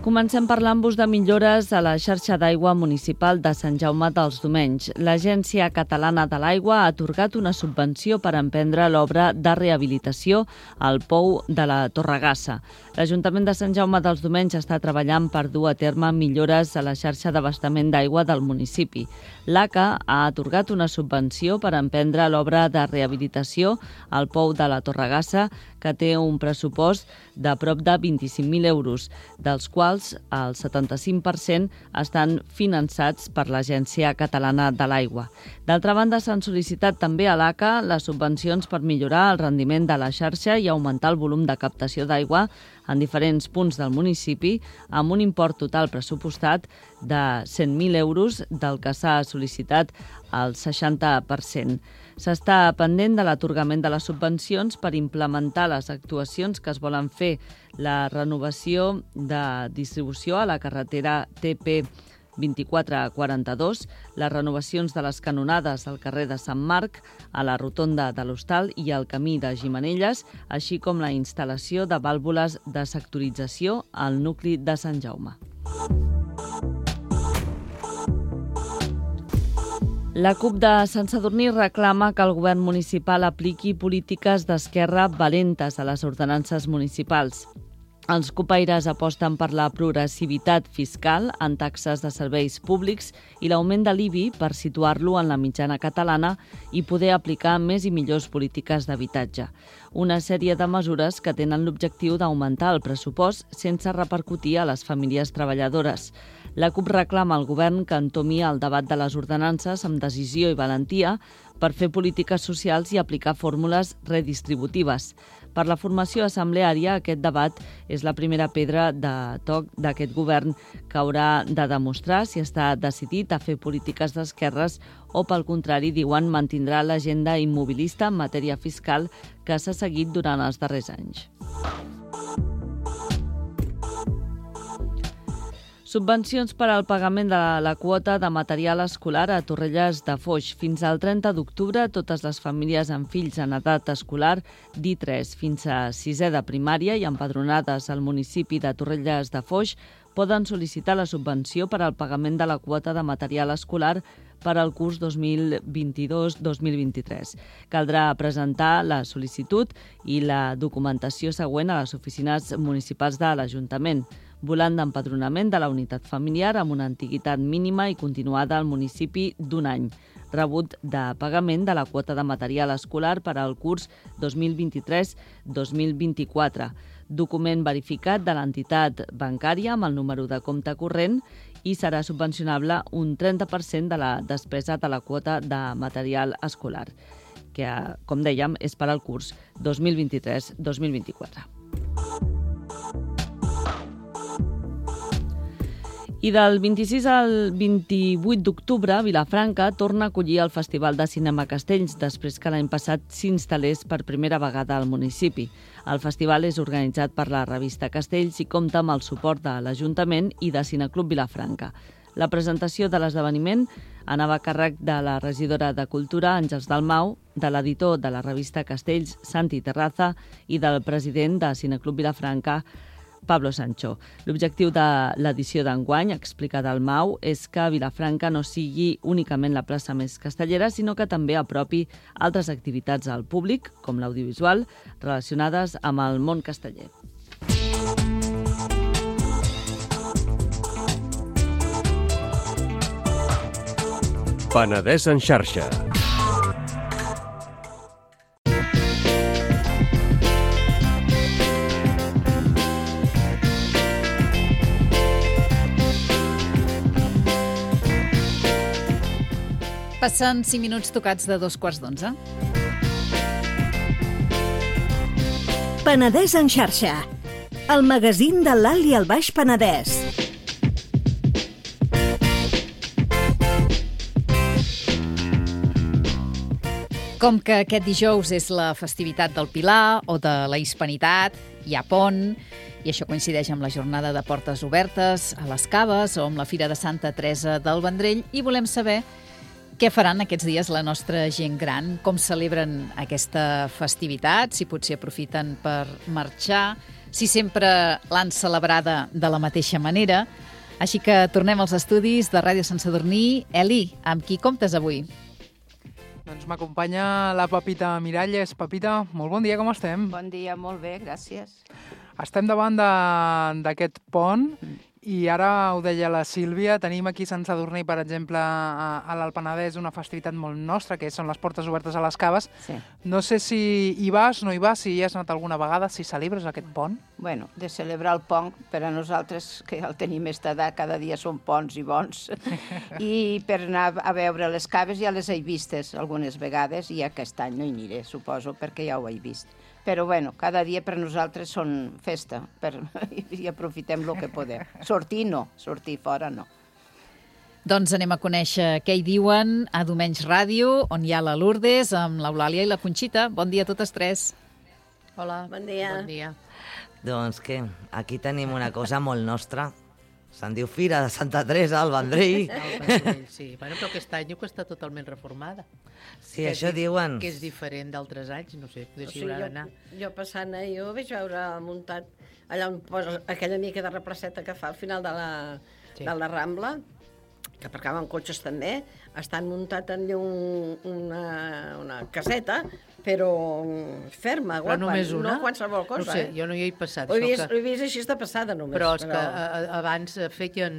Comencem parlant-vos de millores a la xarxa d'aigua municipal de Sant Jaume dels Domenys. L'Agència Catalana de l'Aigua ha atorgat una subvenció per emprendre l'obra de rehabilitació al pou de la Torregassa. L'Ajuntament de Sant Jaume dels Domenys està treballant per dur a terme millores a la xarxa d'abastament d'aigua del municipi. L'A C A ha atorgat una subvenció per emprendre l'obra de rehabilitació al pou de la Torregassa, que té un pressupost de prop de vint-i-cinc mil euros, dels quals el setanta-cinc per cent estan finançats per l'Agència Catalana de l'Aigua. D'altra banda, s'han sol·licitat també a l'A C A les subvencions per millorar el rendiment de la xarxa i augmentar el volum de captació d'aigua en diferents punts del municipi, amb un import total pressupostat de cent mil euros, del que s'ha sol·licitat el seixanta per cent. S'està pendent de l'atorgament de les subvencions per implementar les actuacions que es volen fer, la renovació de distribució a la carretera T P vint-i-quatre quaranta-dos, les renovacions de les canonades al carrer de Sant Marc, a la rotonda de l'Hostal i al camí de Gimenelles, així com la instal·lació de vàlvules de sectorització al nucli de Sant Jaume. La CUP de Sant Sadurní reclama que el govern municipal apliqui polítiques d'esquerra valentes a les ordenances municipals. Els cupaires aposten per la progressivitat fiscal en taxes de serveis públics i l'augment de l'I B I per situar-lo en la mitjana catalana i poder aplicar més i millors polítiques d'habitatge. Una sèrie de mesures que tenen l'objectiu d'augmentar el pressupost sense repercutir a les famílies treballadores. La CUP reclama al govern que entomi el debat de les ordenances amb decisió i valentia per fer polítiques socials i aplicar fórmules redistributives. Per la formació assembleària, aquest debat és la primera pedra de toc d'aquest govern que haurà de demostrar si està decidit a fer polítiques d'esquerres o, pel contrari, diuen, mantindrà l'agenda immobilista en matèria fiscal que s'ha seguit durant els darrers anys. Subvencions per al pagament de la quota de material escolar a Torrelles de Foix. Fins al trenta d'octubre, totes les famílies amb fills en edat escolar d'I tres fins a sisè de primària i empadronades al municipi de Torrelles de Foix poden sol·licitar la subvenció per al pagament de la quota de material escolar per al curs dos mil vint-i-dos dos mil vint-i-tres. Caldrà presentar la sol·licitud i la documentació següent a les oficines municipals de l'Ajuntament. Volant d'empadronament de la unitat familiar amb una antiguitat mínima i continuada al municipi d'un any. Rebut de pagament de la quota de material escolar per al curs dos mil vint-i-tres dos mil vint-i-quatre. Document verificat de l'entitat bancària amb el número de compte corrent i serà subvencionable un trenta per cent de la despesa de la quota de material escolar, que, com dèiem, és per al curs dos mil vint-i-tres dos mil vint-i-quatre. I del vint-i-sis al vint-i-vuit d'octubre, Vilafranca torna a acollir el Festival de Cinema Castells, després que l'any passat s'instal·lés per primera vegada al municipi. El festival és organitzat per la revista Castells i compta amb el suport de l'Ajuntament i de Cineclub Vilafranca. La presentació de l'esdeveniment anava a càrrec de la regidora de Cultura, Àngels Dalmau, de l'editor de la revista Castells, Santi Terraza, i del president de Cineclub Vilafranca, Pablo Sancho. L'objectiu de l'edició d'enguany, explica Dalmau, és que Vilafranca no sigui únicament la plaça més castellera, sinó que també apropi altres activitats al públic, com l'audiovisual, relacionades amb el món casteller. Penedès en xarxa. Passen cinc minuts tocats de dos quarts d'onze. Penedès en xarxa, el magazín de l'Alt i el Baix Penedès. Com que aquest dijous és la festivitat del Pilar o de la Hispanitat, hi ha pont, i això coincideix amb la jornada de portes obertes a les Caves o amb la Fira de Santa Teresa del Vendrell, i volem saber què faran aquests dies la nostra gent gran, com celebren aquesta festivitat, si potser aprofiten per marxar, si sempre l'han celebrada de la mateixa manera. Així que tornem als estudis de Ràdio Sant Sadurní. Eli, amb qui comptes avui? Doncs m'acompanya la Pepita Miralles. Pepita, molt bon dia, com estem? Bon dia, molt bé, gràcies. Estem davant d'aquest pont i ara ho deia la Sílvia, tenim aquí a Sant Sadurní, per exemple, a, a l'Alt Penedès, una festivitat molt nostra, que són les portes obertes a les Caves. Sí. No sé si hi vas, no hi vas, si hi has anat alguna vegada, si celebres aquest pont. Bueno, de celebrar el pont, per a nosaltres, que el tenim aquesta edat, cada dia són ponts i bons. I per anar a veure les Caves ja les he vistes algunes vegades i aquest any no hi aniré, suposo, perquè ja ho he vist. Però, bueno, cada dia per nosaltres són festa per... i aprofitem el que podem. Sortir no, sortir fora no. Doncs anem a conèixer què hi diuen a Domenys Ràdio, on hi ha la Lourdes, amb l'Eulàlia i la Conxita. Bon dia a totes tres. Hola. Bon dia. Bon dia. Doncs què, aquí tenim una cosa molt nostra. Se'n diu Fira de Santa Teresa al Vendrell. El Vendrell, sí. Bueno, però aquest any diu que està totalment reformada. Sí, que això diuen. Que és diferent d'altres anys, no sé, potser s'hi haurà d'anar. Jo, jo passant, eh, jo vaig veure muntat allà on posa aquella mica de replaceta que fa al final de la, sí. de la Rambla, que aparcaven cotxes també, estan muntat en un, una, una caseta, però ferma, guapa, però només una? No qualsevol cosa. No sé, eh? jo no hi he passat. Ho he vist, que... he vist així de passada només. Però és però... que a, a, abans feien,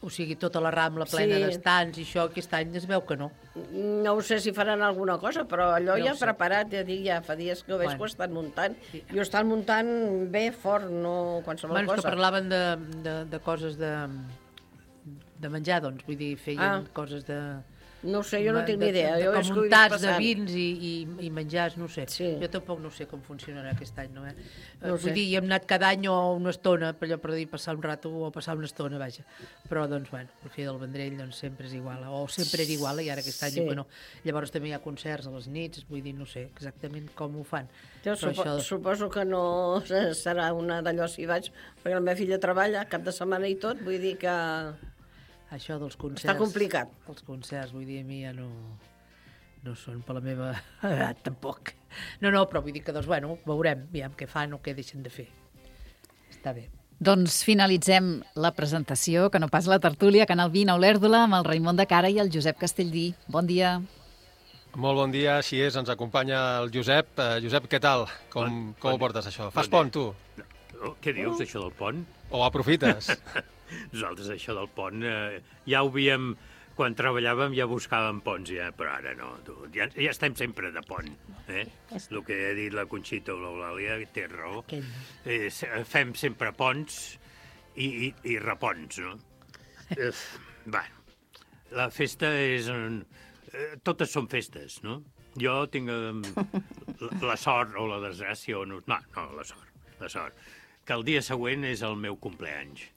o sigui, tota la Rambla plena sí. d'estants i això, aquest any es veu que no. No ho sé si faran alguna cosa, però allò no ja preparat, ja dic, ja fa dies que ho veig bueno. que ho estan muntant. Sí. I ho estan muntant bé, fort, no qualsevol bueno, cosa. Bueno, que parlaven de, de, de coses de, de menjar, doncs, vull dir, feien ah. coses de... No sé, jo no tinc ni idea. De, de, de, de muntats de vins i, i, i menjars, no sé. Sí. Jo tampoc no sé com funcionarà aquest any, no? Eh? No Vull dir, hi hem anat cada any o una estona, per allò per dir passar un rato o passar una estona, vaja. Però, doncs, bueno, el Fira del Vendrell doncs, sempre és igual, o sempre era igual, i ara aquest any sí. que no. Llavors també hi ha concerts a les nits, vull dir, no sé exactament com ho fan. Jo supo això... suposo que no serà una d'allò si vaig, perquè la meva filla treballa cap de setmana i tot, vull dir que... Això dels concerts... Està complicat. Els concerts, vull dir, a mi ja no, no són per la meva edat, tampoc. No, no, però vull dir que, doncs, bueno, veurem, aviam què fan o què deixen de fer. Està bé. Doncs finalitzem la presentació, que no pas la tertúlia, Canal vint a Olèrdola, amb el Raimon de Cara i el Josep Castellví. Bon dia. Molt bon dia, així és, ens acompanya el Josep. Uh, Josep, què tal? Com, bon, com bon, ho portes, això? Fas bon pont, tu? No, què dius, això del pont? O aprofites? Nosaltres això del pont eh, ja ho havíem, quan treballàvem ja buscàvem ponts, ja, però ara no, tu, ja, ja estem sempre de pont. Eh? El que ha dit la Conxita o l'Eulàlia té raó. Eh, fem sempre ponts i, i, i repons, no? Eh, bueno, la festa és... Un, eh, totes són festes, no? Jo tinc eh, la, la sort o la desgràcia, o no, no, no, la sort, la sort, que el dia següent és el meu compleanys.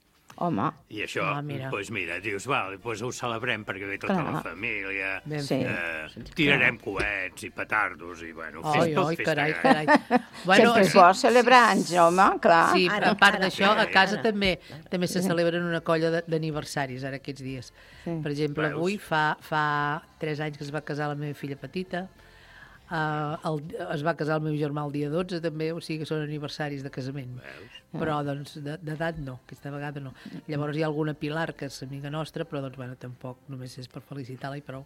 Home. I això, ah, mira. doncs mira, dius, val, doncs ho celebrem perquè ve tota Clar. la família, sí. eh, tirarem coets i petardos i, bueno, oi, festa, oi, festa. carai, carai. Bueno, sempre és bo celebrar anys, home, clar. Sí, Ara, a part ara, d'això, a casa ara. també també se celebren una colla d'aniversaris ara aquests dies. Sí. Per exemple, Veus? avui fa, fa tres anys que es va casar la meva filla petita, Uh, el, es va casar el meu germà el dia dotze també, o sigui que són aniversaris de casament. Veus? Però doncs d'edat no, aquesta vegada no. Llavors hi ha alguna Pilar que és amiga nostra, però doncs bueno, tampoc només és per felicitar-la i prou.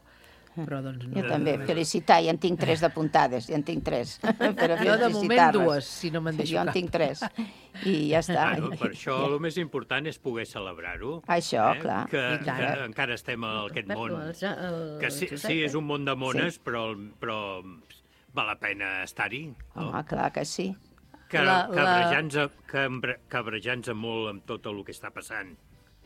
Però doncs no. Jo també, felicitar, ja en tinc tres d'apuntades, ja en tinc tres. Per jo de moment dues, si no me'n deixo jo cap. Jo en tinc tres, i ja està. Bueno, per això el més important és poder celebrar-ho. Això, eh? clar. Que, que encara estem en aquest món. Que sí, sí, és un món de mones, sí. però, però val la pena estar-hi. No? Home, clar que sí. Cabrejant-nos cabrejant molt amb tot el que està passant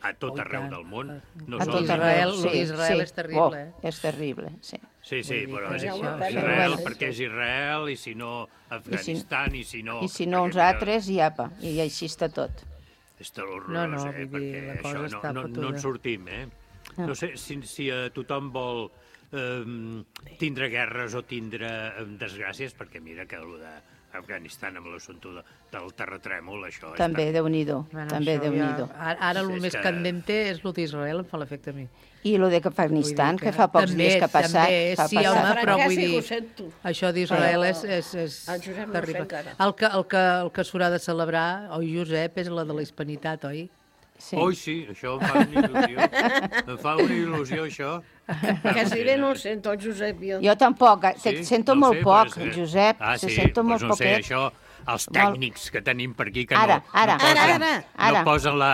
a tot oh, arreu del món. No a tot Israel, sí, Israel sí. és terrible. Oh, és terrible, sí. Sí, sí, però és això, Israel perquè és Israel i si no Afganistan i si no... I si no uns altres, i apa, i així està tot. És horrorós, no, no, eh? Vull dir, perquè la cosa això està no, no, no en sortim, eh? No sé si, si a tothom vol eh, tindre guerres o tindre eh, desgràcies, perquè mira que el d'Afganistan amb l'assumpte de, del terratrèmol, això... També, està... Déu-n'hi-do, Bueno, també això Déu-n'hi-do. ja- Ara, ara el És més que- candente és el d'Israel, em fa l'efecte a mi. I el d'Afganistan, que fa pocs També, dies que ha passat. També, que ha sí, passat. home, però vull Francesc, dir... ho sento. Això d'Israel Però és, és, és el Josep no ho sé terrible. encara. El que, el que, el que s'haurà de celebrar, oi, Josep, és la de la hispanitat, oi? Sí. Oi, sí, això em fa una il·lusió. Em fa una il·lusió, això. Quasi bé no ho sento, el Josep. Jo, Jo tampoc, eh, Sí? te sento No ho molt sé, poc, pues, eh, Josep, Ah, se sí? sento Pues molt no sé, poquet. això, els tècnics que tenim per aquí que Ara, no, ara, no, posen, ara, ara. no posen la,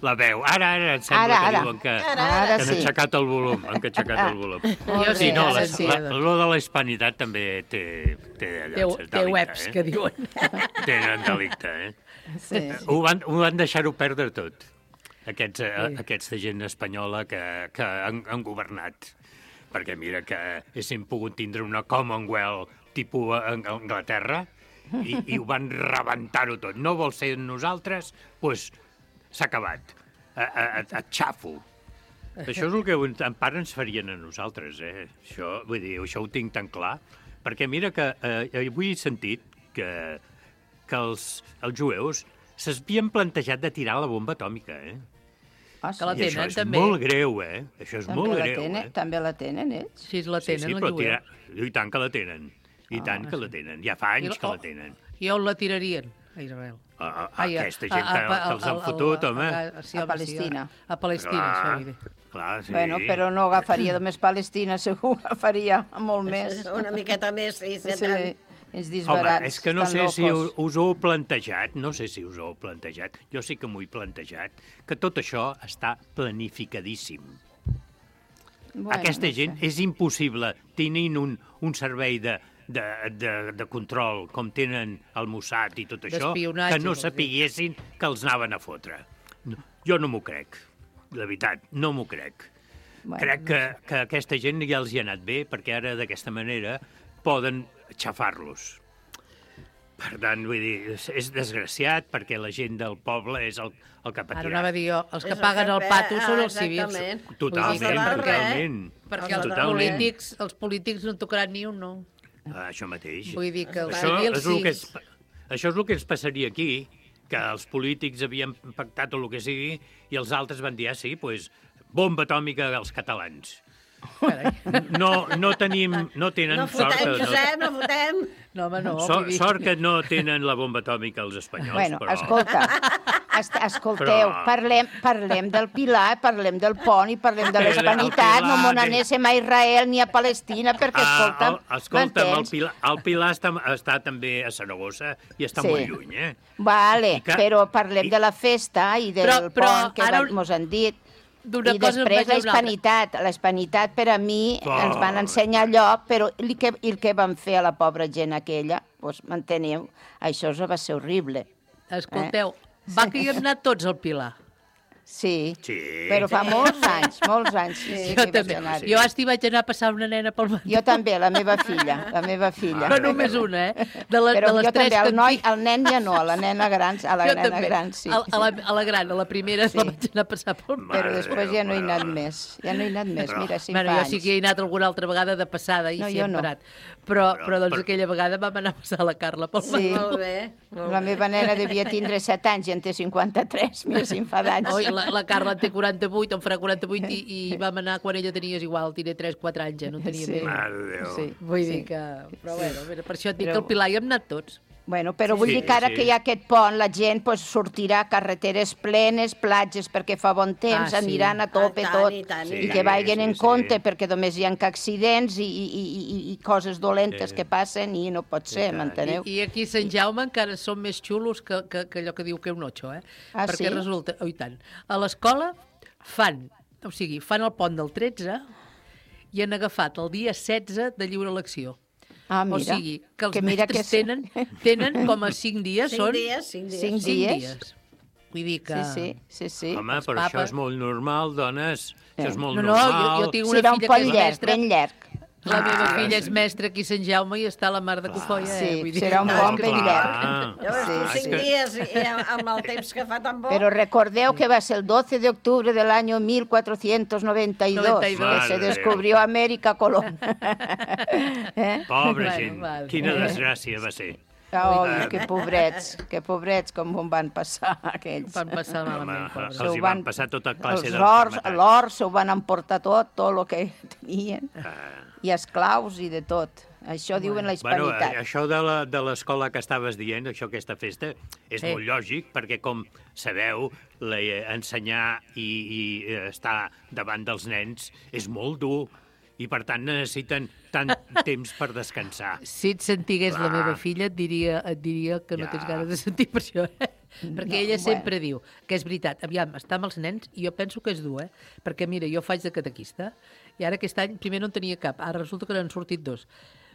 la veu. Ara, ara, em sembla Ara, que ara. diuen que, Ara, ara, que han sí. aixecat el volum. Han aixecat el volum. Jo sí, sí, no, ara la, sí, la, doncs. lo de la hispanitat també té, té, allò, Té, cert té delicte, webs, eh? que diuen. Tenen delicte, eh? Sí, Ho van, ho van deixar-ho perdre tot, aquests, eh, aquesta gent espanyola que, que han, han governat. Perquè mira que haguéssim pogut tindre una Commonwealth tipus Ang- Anglaterra i, i ho van rebentar-ho tot. No vol ser nosaltres? Doncs pues, s'ha acabat. A, a, a, a xafo. Això és el que en part ens farien a nosaltres, eh? Això, vull dir, això ho tinc tan clar. Perquè mira que eh, avui he sentit que, que els, els jueus s'havien plantejat de tirar la bomba atòmica, eh? Ah, Que la I això tenen, és també. molt greu, eh? Això és També molt la greu, tenen, eh? també la tenen, ells? Sí, la Sí, tenen, sí, la però jueu. tira... I tant que la tenen. I Ah, tant que la tenen. Ja fa anys I la- que la tenen. I on la tirarien? A Israel. A, a, a Ai, aquesta gent que, a- a- que els han a- fotut, a- home. a- sí, A home, Palestina. Sí, a, a Palestina, Clar, això vull dir. clar, sí. Bueno, però no agafaria només Palestina, segur, agafaria molt més. Una miqueta més, sí, Sí, sí. els Home, disbarats. és que no tan sé si us, locos. us ho heu plantejat, no sé si us ho heu plantejat, jo sí que m'ho he plantejat, que tot això està planificadíssim. Bueno, Aquesta no gent sé. és impossible, tenint un, un servei de, de, de, de control com tenen el Mossad i tot això, D'espionatge, que no vols dir. sapiguessin que els anaven a fotre. No, jo no m'ho crec, la veritat, no m'ho crec. Bueno, Crec que, que aquesta gent ja els hi ha anat bé, perquè ara d'aquesta manera poden xafar-los. Per tant, vull dir, és, és desgraciat perquè la gent del poble és el, el que Ara patirà. anava a dir jo, els que És el paguen que el pe- pato són ah, els civils. exactament. Totalment, Vull dir que- totalment. Perquè Els els de totalment. polítics, els polítics no en tocaran ni un, no. Ah, això mateix. Vull dir que els Això civils és, el que sí. és, això és el que ens passaria aquí, que els polítics havien pactat o el que sigui i els altres van dir, ah, sí, doncs, bomba atòmica als catalans. Carai. No, no tenim, no tenen No sort. fotem, no, Josep, no fotem. No, home, no. so, vull dir- sort que no tenen la bomba atòmica els espanyols, Bueno, però... escolta, est escolteu, Però- parlem, parlem del Pilar, parlem del pont i parlem de El- el l'Hispanitat, no Pilar, me que- n'anéssim a Israel ni a Palestina, perquè, escolta'm, Ah, el, escolta'm, el m'entens? Pilar, el Pilar està, està també a Saragossa i està Sí. molt lluny, eh? Vale, I que- però parlem i- de la festa i del Però- però pont que ara van, mos han dit. D'una I cosa en després vaig a la una altra. hispanitat. La hispanitat per a mi Oh. ens van ensenyar allò, però el que, el que van fer a la pobra gent aquella, doncs, m'enteneu? Això va ser horrible. Escolteu, Eh? va que hi hem anat tots al Pilar. Sí, Sí. però fa molts anys, molts anys. Sí, sí, Jo que també. vaig anar-hi. Jo hasta hi vaig anar a passar una nena pel matí. Jo també, la meva filla, la meva filla. No només una, eh? De, la, Però de les jo tres també, el que noi, tinc- el nen ja no, a la nena gran, a la Jo nena també. gran sí. A, a, la, a la gran, a la primera, sí. la vaig anar a passar pel Però Mare després de ja no he Déu, anat mare. més, ja no he anat més, mira, si Bueno, fa jo sí anys. que hi he anat alguna altra vegada de passada i No, s'hi jo hem no. parat. Però, Però- però doncs però- aquella vegada vam anar a passar la Carla pel Sí. matí. Molt bé, molt La bé. meva nena devia tindre set anys i en té cinquanta-tres, mira si em fa d'anys. Oi, la, la Carla en té quaranta-vuit, en farà quaranta-vuit i, i vam anar quan ella tenia igual, tenia tres quatre anys, ja no tenia Sí. més. Mare de Déu. Sí. Vull sí. dir que... Però bueno, mira, per això et dic Però- que al Pilar hi hem anat tots. Bueno, però vull Sí, dir que ara sí. que hi ha aquest pont, la gent pues, sortirà a carreteres plenes, platges perquè fa bon temps, Ah, sí. aniran a tope Ah, tant, tot, i tant, i i que tant. vagin Sí, en sí. compte perquè només hi ha que accidents i, i, i, i, i coses dolentes Sí. que passen i no pot ser, tant. m'enteneu? I, I aquí a Sant Jaume encara són més xulos que, que, que allò que diu que un ocho, eh? Ah, Perquè sí? resulta... Oh, i tant. A l'escola fan, o sigui, fan el pont del tretze i han agafat el dia setze de lliure elecció. Ah, O mira, sigui, que els que mira mestres que... tenen, tenen com a cinc dies, Cinc són... dies, cinc dies. Cinc cinc dies? dies. Vull dir que... Sí, sí, sí, sí. Home, Els però això papes- és molt normal, dones. Això és molt No, no, normal. jo, jo tinc una Serà un filla pont que és llarg, mestra... ben llarg. La meva filla és mestra aquí a Sant Jaume i està a la mar de Cofoia. Sí, eh? Vull dir, serà un bon benllet. Ja veus, tu cinc dies i amb el temps que fa tan bo. Pero recordeu que va ser el doce de octubre del año mil cuatrocientos noventa y dos que se descubrió América Colón. eh? Pobre gent, quina desgràcia va ser. Oh, que pobrets, que pobrets com ho van passar aquells. Van passar malament, pobres. Els hi van passar tota classe de... L'or s'ho van emportar tot, tot el que tenien, i esclaus i de tot. Això diuen la hispanitat. Bueno, això de l'escola que estaves dient, això, aquesta festa, és molt lògic, perquè, com sabeu, ensenyar i estar davant dels nens és molt dur, i per tant necessiten tant temps per descansar. Si et sentigués la meva filla et diria, et diria que no tens ganes de sentir per això, eh? Perquè ella sempre diu que és veritat, aviam, estar amb els nens, i jo penso que és dur, eh? Perquè mira, jo faig de catequista, i ara aquest any primer no en tenia cap, ara resulta que n'han sortit dos.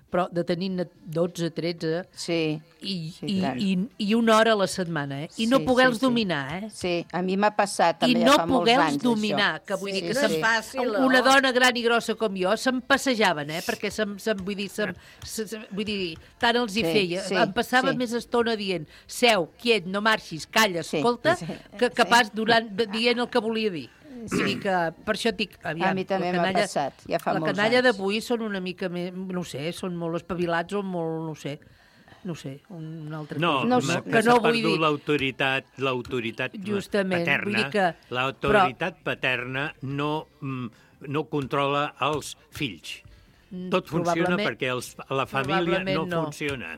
Però de tenir dotze, tretze, sí, i, sí, i, i, i una hora a la setmana, eh? I no sí, poder-los sí, dominar, eh? Sí, a mi m'ha passat també I no ja fa molts anys, poder-los dominar, això. que vull Sí, dir que sí, se'm, sí. fàcil, una no? dona gran i grossa com jo se'm passejaven, eh? Perquè se'm, se'm, vull dir, se'm, se, se, vull dir, tant els hi Sí, feia. sí, em passava sí. més estona dient seu, quiet, no marxis, calla, Sí, escolta, sí, que capaç durant, dient el que volia dir. Vull dir que per això dic, aviam, A mi també m'ha passat, ja fa la molts canalla anys. d'avui són una mica més, no sé, són molt espavilats o molt, no sé, no sé, un altre No, cosa. no, que que no s'ha vull dir... perdut l'autoritat, l'autoritat Justament, paterna. vull dir que- L'autoritat paterna no, mm, no controla els fills. Tot funciona Probablement- perquè els, la família probablement no, no. funciona.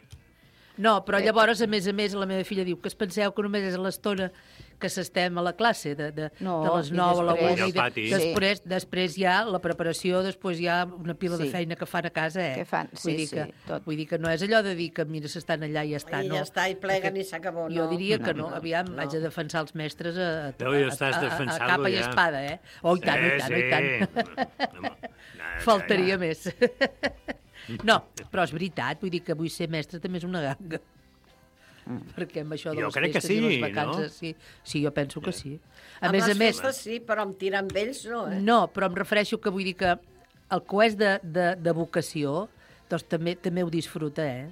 No, però llavors, a més a més, la meva filla diu que es penseu que només és l'estona que s'estem a la classe, de, de, No, de les i nou a la després- una, i I de, al pati. després, després hi ha la preparació, després hi ha una pila de Sí. feina que fan a casa, eh? Que fan, sí, vull dir sí, que, tot. Vull dir que no és allò de dir que, mira, s'estan allà i ja està, I no. ja està, i pleguen Perquè i s'acabó, no. Jo diria que no, No, no, aviam, no. haig de defensar els mestres a, a, No, ja a, estàs a, a, a defensant-lo, capa i ja. espada, eh? Oh, i tant, oh, i tant, oh, i tant. Faltaria més. No, però és veritat, vull dir que vull ser mestre també és una ganga. Perquè amb això de Jo les crec que festes i les sí, vacances, no? sí, sí, jo penso que sí. A Amb més les a més, festes sí, però amb tirar amb ells no, eh? no, però em refereixo que vull dir que el que és de, de, de vocació, doncs també, també ho disfruta, eh?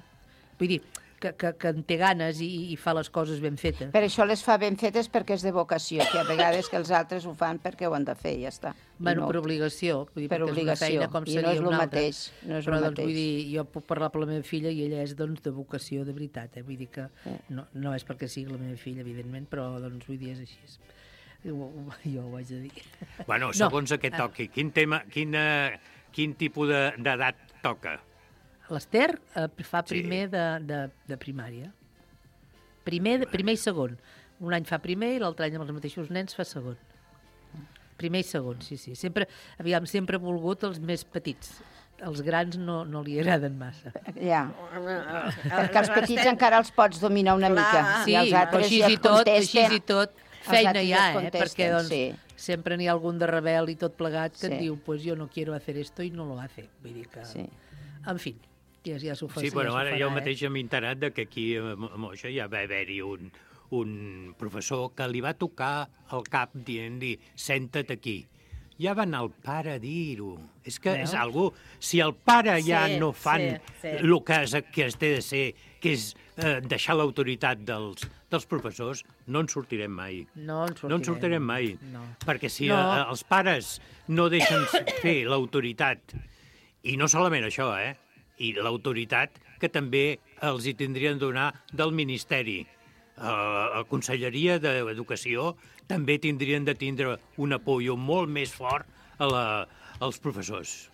Vull dir, que, que, que en té ganes i, i fa les coses ben fetes. Per això les fa ben fetes perquè és de vocació, que a vegades que els altres ho fan perquè ho han de fer, i ja està. I Bueno, no- per obligació, vull dir, Per perquè obligació, és una feina com i seria no és una lo altra. mateix, no és lo Però, doncs, mateix. vull dir, jo puc parlar per la meva filla i ella és, doncs, de vocació de veritat, eh? Vull dir que no, no és perquè sigui la meva filla, evidentment, però, doncs, vull dir, és així. Jo, jo ho haig de dir. Bueno, No. segons aquest toqui, quin tema, quin, eh, quin tipus de- d'edat toca? L'Ester eh, fa primer de, de, de primària. Primer, de, primer i segon. Un any fa primer i l'altre any amb els mateixos nens fa segon. Primer i segon, sí, sí. Sempre, aviam, sempre he volgut els més petits. Els grans no, no li agraden massa. Ja. Perquè els petits encara els pots dominar una Clar. mica. Sí, I els però altres així ja i et tot, contesten. així i tot, Els feina altres hi ja ha, et eh? Perquè, contesten, doncs, sí. sempre n'hi ha algun de rebel i tot plegat que Sí. et diu, pues jo no quiero hacer esto i no lo hace. Vull dir que... Sí. En fi, ja, ja s'ho fa. Sí, però ja ara s'ho jo farà, mateix m'he enterat de que aquí a Mo- a Moixa ja va haver-hi un, un professor que li va tocar el cap dient-li senta't aquí. Ja va anar el pare a dir-ho. És que Veus? és algú... Si el pare ja Sí, no fan sí, sí. el que, es, que es té de ser, que és eh, deixar l'autoritat dels, dels professors, no en sortirem mai. No en sortirem. No en sortirem mai. No. Perquè si No. eh, els pares no deixen fer l'autoritat, i no solament això, eh? I l'autoritat que també els hi tindrien de donar del Ministeri. Uh, la Conselleria d'Educació també tindrien de tindre un apoyo molt més fort a la, als professors.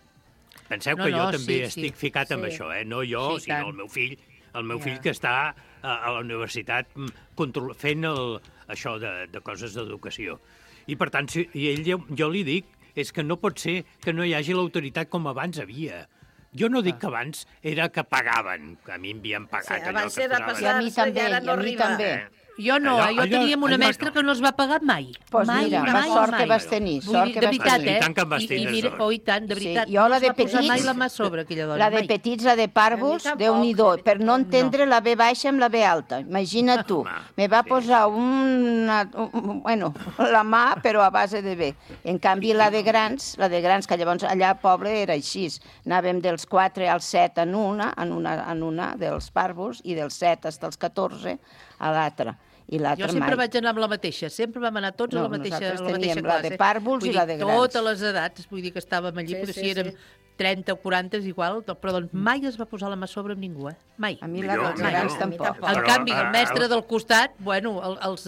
Penseu No, que jo no, també sí, estic sí. ficat amb Sí. això, eh? No jo, Sí, sinó tant. el meu fill, el meu Ja. fill que està a, a la universitat mm, control, fent el, això de, de coses d'educació. I per tant, si, i ell, jo, jo li dic, és que no pot ser que no hi hagi l'autoritat com abans havia. Jo no dic que abans era que pagaven, que a mi em havien pagat Sí, allò abans que era posaven. I a mi passar-se i també, ara i no a mi arriba. també. Jo no, allò, jo teníem una mestra no. que no els va pagar mai. Pues mai, mira, mai, la sort mai. que vas tenir. Sort dir, que de vas veritat, tenir. eh? I tant que em vas I, tenir i mira, sort. oh, i tant, de veritat. Sí, jo la de no es va posar petits- mai la mà a sobre, aquella dona. La de mai. petits, la de pàrvuls, Déu-n'hi-do, per no entendre la B baixa amb la B alta. Imagina tu, me va posar una, un, bueno, la mà, però a base de B. En canvi, la de grans, la de grans, que llavors allà al poble era així. Anàvem dels quatre als set en una, en una, en una dels pàrvuls, i dels set fins als catorze a l'altra. I Jo sempre vaig anar amb la mateixa, sempre vam anar tots No, a la mateixa, a nosaltres la mateixa teníem la classe. de pàrvuls i Vull la dir, de grans. Totes les edats, vull dir que estàvem allí, Sí, perquè sí, si érem sí. trenta o quaranta és igual, però doncs mai es va posar la mà a sobre amb ningú, eh? Mai. A mi la dels grans tampoc. En canvi, el mestre del costat, bueno, el, els,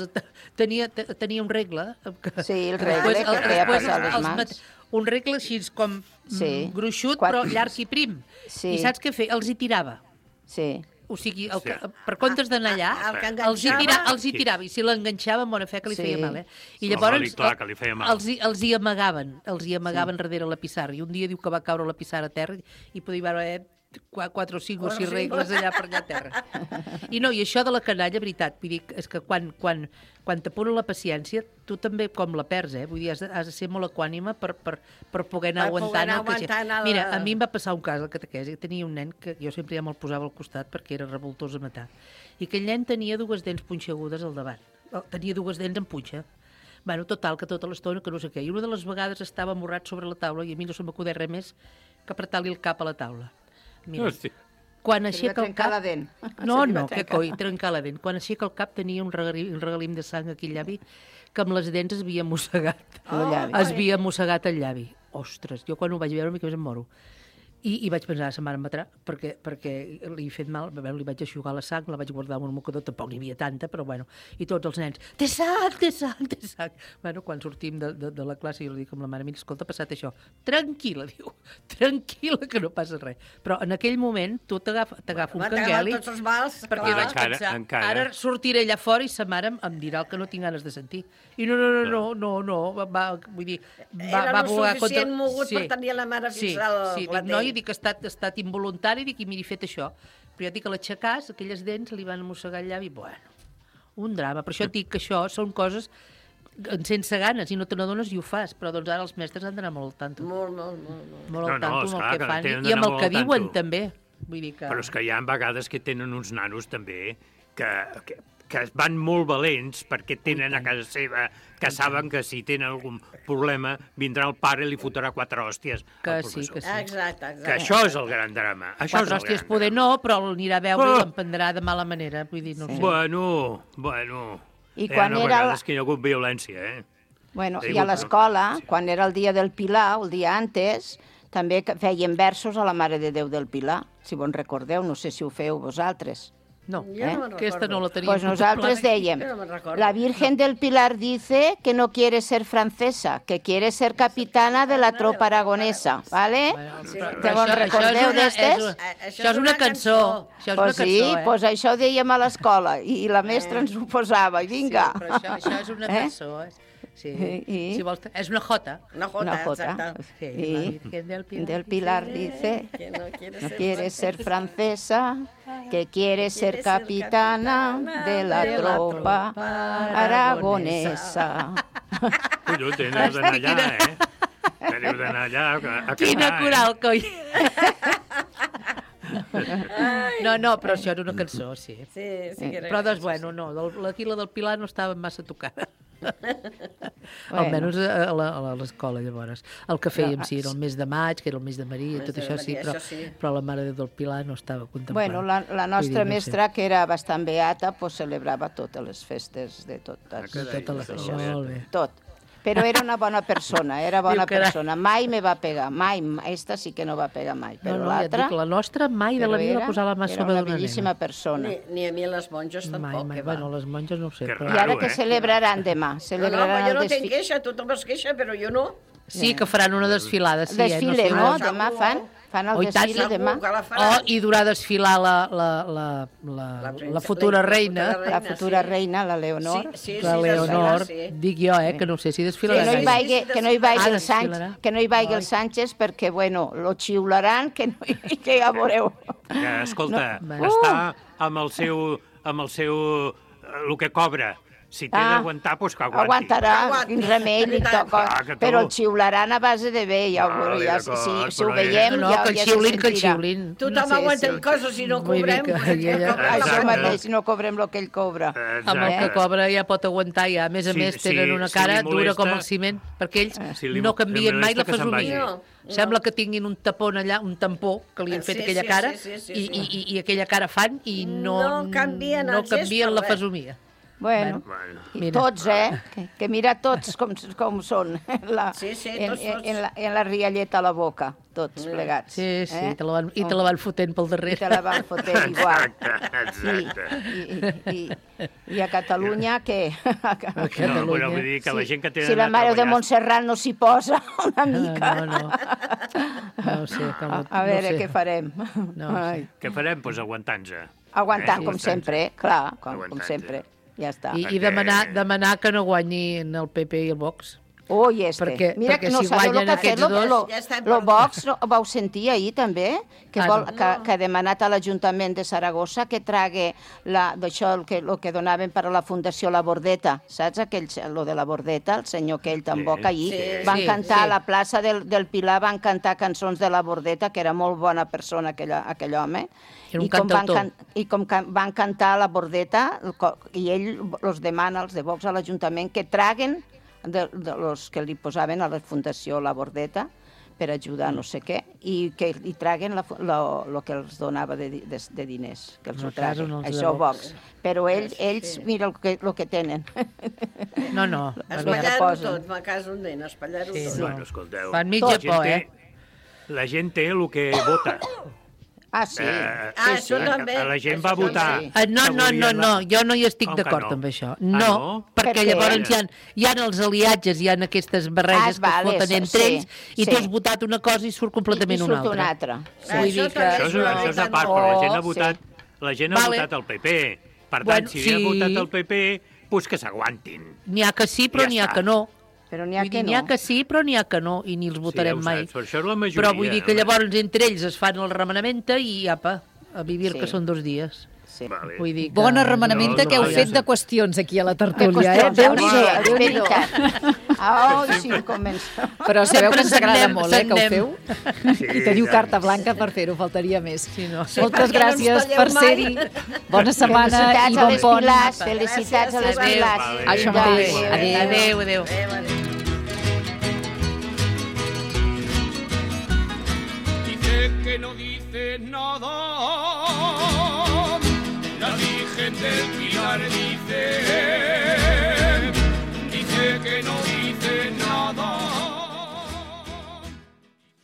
tenia, tenia un regle. Que, Sí, el regle que feia passar les mans. Un regle així com Sí. gruixut, Quatre- però llarg i prim. Sí. I saps què feia? Els hi tirava. Sí. O sigui, el que, per comptes d'anar allà, El que els hi, enganxava. tira, els hi tirava, i si l'enganxava, en bona fe, que li Sí. feia mal, eh? I Sí, llavors clar que li feia mal. els, hi- els hi amagaven, els hi amagaven sí. darrere la pissarra, i un dia diu que va caure la pissarra a terra i podia haver qua- quatre o cinc o sis regles allà per allà a terra. I no, i això de la canalla, veritat, vull dir, és que quan, quan, quan t'apuren la paciència, tu també com la perds, eh? Vull dir, has de, has de ser molt equànima per, per, per poder anar Per poder aguantant. anar el que- aguantant el- Mira, a mi em va passar un cas al catequesi, tenia un nen que jo sempre ja me'l posava al costat perquè era revoltós a matar, i aquell nen tenia dues dents punxegudes al davant, tenia dues dents en punxa. Bueno, total, que tota l'estona, que no sé què, i una de les vegades estava amorrat sobre la taula i a mi no se m'acudeix res més que apretar-li el cap a la taula. Mira, Hosti. quan Se li va aixeca el trencar cap... la dent. No, Se li va no, que trencar. coi, trencar la dent. Quan aixeca el cap tenia un regalim, un regalim de sang aquí al llavi que amb les dents es havia mossegat. El llavi. Es havia mossegat el llavi. Ostres, jo quan ho vaig veure, mica més em moro. I, i vaig pensar, sa mare em matarà, perquè, perquè li he fet mal, bueno, li vaig aixugar la sang, la vaig guardar en un mocador, tampoc n'hi havia tanta, però bueno, i tots els nens, té sang, té sang, té sang. Bueno, quan sortim de, de, de la classe, jo li dic amb la mare, mira, escolta, ha passat això. Tranquil·la, diu, tranquil·la, que no passa res. Però en aquell moment, tu t'agafa un Va, cangueli, tots els mals, perquè clar. vaig Encara, pensar, encara. ara sortiré allà fora i sa mare em, em dirà el que no tinc ganes de sentir. I no, no, no, no, no, no va, va, vull dir, va, Era va lo volar suficient mogut per tenir la mare sí, fins al sí, dic, clatell. no, i dic que ha estat, ha estat involuntari, dic, i miri, fet això. Però jo dic que l'aixecàs, aquelles dents li van mossegar el llavi, bueno, un drama. Per això et dic que això són coses sense ganes, i no te n'adones i ho fas, però doncs ara els mestres han d'anar molt al tanto. Molt, molt, molt. molt. Molt al No, no, tanto amb esclar, el que que fan, tenen i amb d'anar el molt que al diuen tanto. també. Vull dir que... Però és que hi ha vegades que tenen uns nanos també que, que, que van molt valents perquè tenen a casa seva, que saben que si tenen algun problema vindrà el pare i li fotrà quatre hòsties Que al sí, professor. que sí. Exacte, exacte. Que això és el gran drama. Això Quatre és el hòsties gran poder no, però l'anirà a veure Oh! i l'emprendrà de mala manera. Vull dir, no drama. sé. Bueno, bueno... I Hi ha quan era la- vegades que hi ha hagut violència, eh? Bueno, Sí, i a però- l'escola, quan era el dia del Pilar, el dia antes, també que feien versos a la Mare de Déu del Pilar, si vos en recordeu, no sé si ho feu vosaltres. No, Jo no me'n aquesta no la teníem. Pues nosaltres dèiem, Jo no me'n recordo. la Virgen del Pilar dice que no quiere ser francesa, que quiere ser capitana de la tropa aragonesa, ¿vale? Sí, Te vos recordeu d'estes? Això és una cançó. Això és una Pues cançó, sí, eh? pues això dèiem a l'escola, i i la mestra ens ho posava, i vinga. Sí, però això, això és una Eh? cançó, eh? Sí, I- si vols, és una jota. Una jota, Una jota. exacte. Sí, Y la Virgen del Pilar. del Pilar dice Que no quiere no ser quiere ser francesa. francesa, que quiere ser capitana de la tropa aragonesa. Colló, teniu d'anar allà, eh? Teniu d'anar allà a, a cantar, Quina eh? coral, coi! No, no, però això era una cançó, sí. Sí, sí que era Però, doncs, cançó, bueno, no, del- la Quila del Pilar no estava massa tocada. Bueno. Almenys a la- a l'escola, llavors. El que fèiem, No, sí, era el mes de maig, que era el mes de Maria, i Mes tot de això, sí, Maria, però, això sí. però la Mare de Déu del Pilar no estava contemplant. Bueno, la, la Vull nostra dir, no sé. mestra, que era bastant beata, pues celebrava totes les festes de totes. Ah, carai, Tota la això això, és molt bé. Tot. Però era una bona persona, era bona Diu que era- persona. Mai me va pegar, mai. Esta sí que no va pegar mai. No, Però no, ja et l'altra... dic, la nostra mai de la però vida va era- posar la mà era sobre una d'una bellíssima nena. persona. Ni, ni a mi les monges Mai, tampoc, mai. que va. Bueno, les monges no ho sé, Que però... I ara Raro, que eh? celebraran demà? No, no, Celebraran però jo no el tenc desfi... queixa, tothom es queixa, però jo no. Sí, que faran una desfilada, sí, desfile, eh? no? sé. Demà fan, fan el Oh, i tant, desfile segur demà. que la Oh, faran. i durà desfilar la, la, la, la, La princesa- la futura la reina, futura La reina, futura sí. reina, la Leonor. Sí, sí, la sí, Leonor, sí. dic jo, eh, que no sé si Que desfilarà. no hi sí, vagi, sí, que no hi vagi Ah, el Sánchez, desfilarà. que no hi vagi el Sánchez perquè, bueno, lo xiularan, que, no, que ja veureu. Que, escolta, No. no. està amb el seu, amb el seu el que cobra. Si té Ah, d'aguantar, doncs que aguanti. Aguantarà, quin remei li toca. Ah, que tu. Però el xiularan a base de bé, ja ho Vale, ja, d'acord, si, si ho però veiem, No, ja, que el ja se xiulin, que el sentirà. xiulin. Tothom Sí, aguanta sí. coses si no Vull dir cobrem. que ella- Això Exacte. mateix, si no cobrem el que ell cobra. Amb el que Eh? cobra ja pot aguantar, ja. A més a Si- més, si- tenen una si cara li molesta- dura com el ciment, perquè ells Si li- no canvien li mai la molesta que se'n fesomia. vagi. No, Sembla no. que tinguin un tapó allà, un tampó, que li han fet Sí, aquella sí, cara, sí, sí, sí, i, sí. i, i, i aquella cara fan i no, No canvien no el gest canvien per la res. fesomia. Bueno, Bueno. i Mira. tots, eh? Que, que mira tots com, com són, en la, Sí, sí, en, tots, tots. en, la, en la rialleta a la boca, tots plegats. Sí, sí, eh? te la van, i te la van fotent pel I darrere. te la van fotent igual. Exacte. I, i, i, I a Catalunya, què? A No, Catalunya. però vull dir que la gent que té Si la Mare de Montserrat no s'hi posa una mica... No, no. No ho sé. Com, A, a veure, no ho sé. què farem? No ho sé. Ai. Què farem? Doncs aguantant-se. Aguantant, Eh? com sempre, eh? Clar, com, com Aguantant-se. sempre. Ja està. I, i Perquè- demanar, demanar que no guanyin el P P i el Vox. Oh, i este. Perquè- Mira, perquè no si sabeu guanyen el que ha fet aquests lo, dos- lo, Ja està lo perdut. Vox, no, vau sentir ahir també, que, Ah, vol, no. que, que ha demanat a l'Ajuntament de Saragossa que trague la, d'això el que, el que donaven per a la Fundació La Bordeta, saps? Aquell, lo de la Bordeta, el senyor aquell tan bo que ahir Sí, van sí, cantar sí. a la plaça del, del Pilar, van cantar cançons de la Bordeta, que era molt bona persona aquell, aquell home, Era un i com, van, cantautor. can, i com can, van cantar a la Bordeta, el co- i ell els demana, els de Vox a l'Ajuntament, que traguen de, de los que li posaven a la Fundació La Bordeta per ajudar no sé què, i que li traguen la, fu- lo, lo que els donava de, di- de, de diners, que els En ho el cas, traguen. en els de Això Vox. Vox. Però ells, ells mira el que, el que tenen. No, no. Espatllar-ho posen. tot, ma casa un nen, espatllar-ho Sí, tot. no. Bueno, escolteu. Fan mitja la gent por, té- eh? La gent té el que vota. Ah, sí. Eh, Ah, això també. La gent Això va votar. també. Ah, no, que no, no, volien no, la- jo no hi estic Com que d'acord no? amb això. Ah, No, no? perquè Per què? llavors hi ha, hi ha els aliatges, hi ha aquestes barreges Ah, que es vale, foten sí, entre ells i sí. tu has votat una cosa i surt completament I, i una surt altra. una altra. Sí. Vull Això dir que... també Això és, no, això és a no, part, no. però la gent ha Sí. votat, la gent ha Vale. votat el P P. Per tant, Bueno, si sí. ha votat el P P, doncs que s'aguantin. N'hi ha que sí, però Ja n'hi ha està. que no. Però n'hi ha Vull que dir, no. n'hi ha que sí, però n'hi ha que no, i ni els votarem ja ho mai. saps, però això és la majoria. Però vull dir que llavors entre ells es fan el remenamenta i apa, a vivir Sí. que són dos dies. Sí. Vale. Vull dir que... Bona remenamenta No, que heu no, fet ja de sé. qüestions aquí a la Que tertúlia, eh? qüestions, Déu-n'hi-do, és Déu-n'hi-do. veritat. Ah, oh, sí, comença. Però sabeu que ens Sempre agrada se'n molt, eh, que ho anem. feu. Sí, I teniu ja. carta blanca per fer-ho, faltaria més. Sí, no. Moltes perquè no ens gràcies talleu per mai. ser-hi. Bona setmana Felicitats i a bon les pont. Pilars, felicitats a les Gràcies, Pilars. vale. Això Vinga, mateix. adéu. Adéu, adéu. Eh, vale. Dice que no dice nada, la Virgen del Pilar dice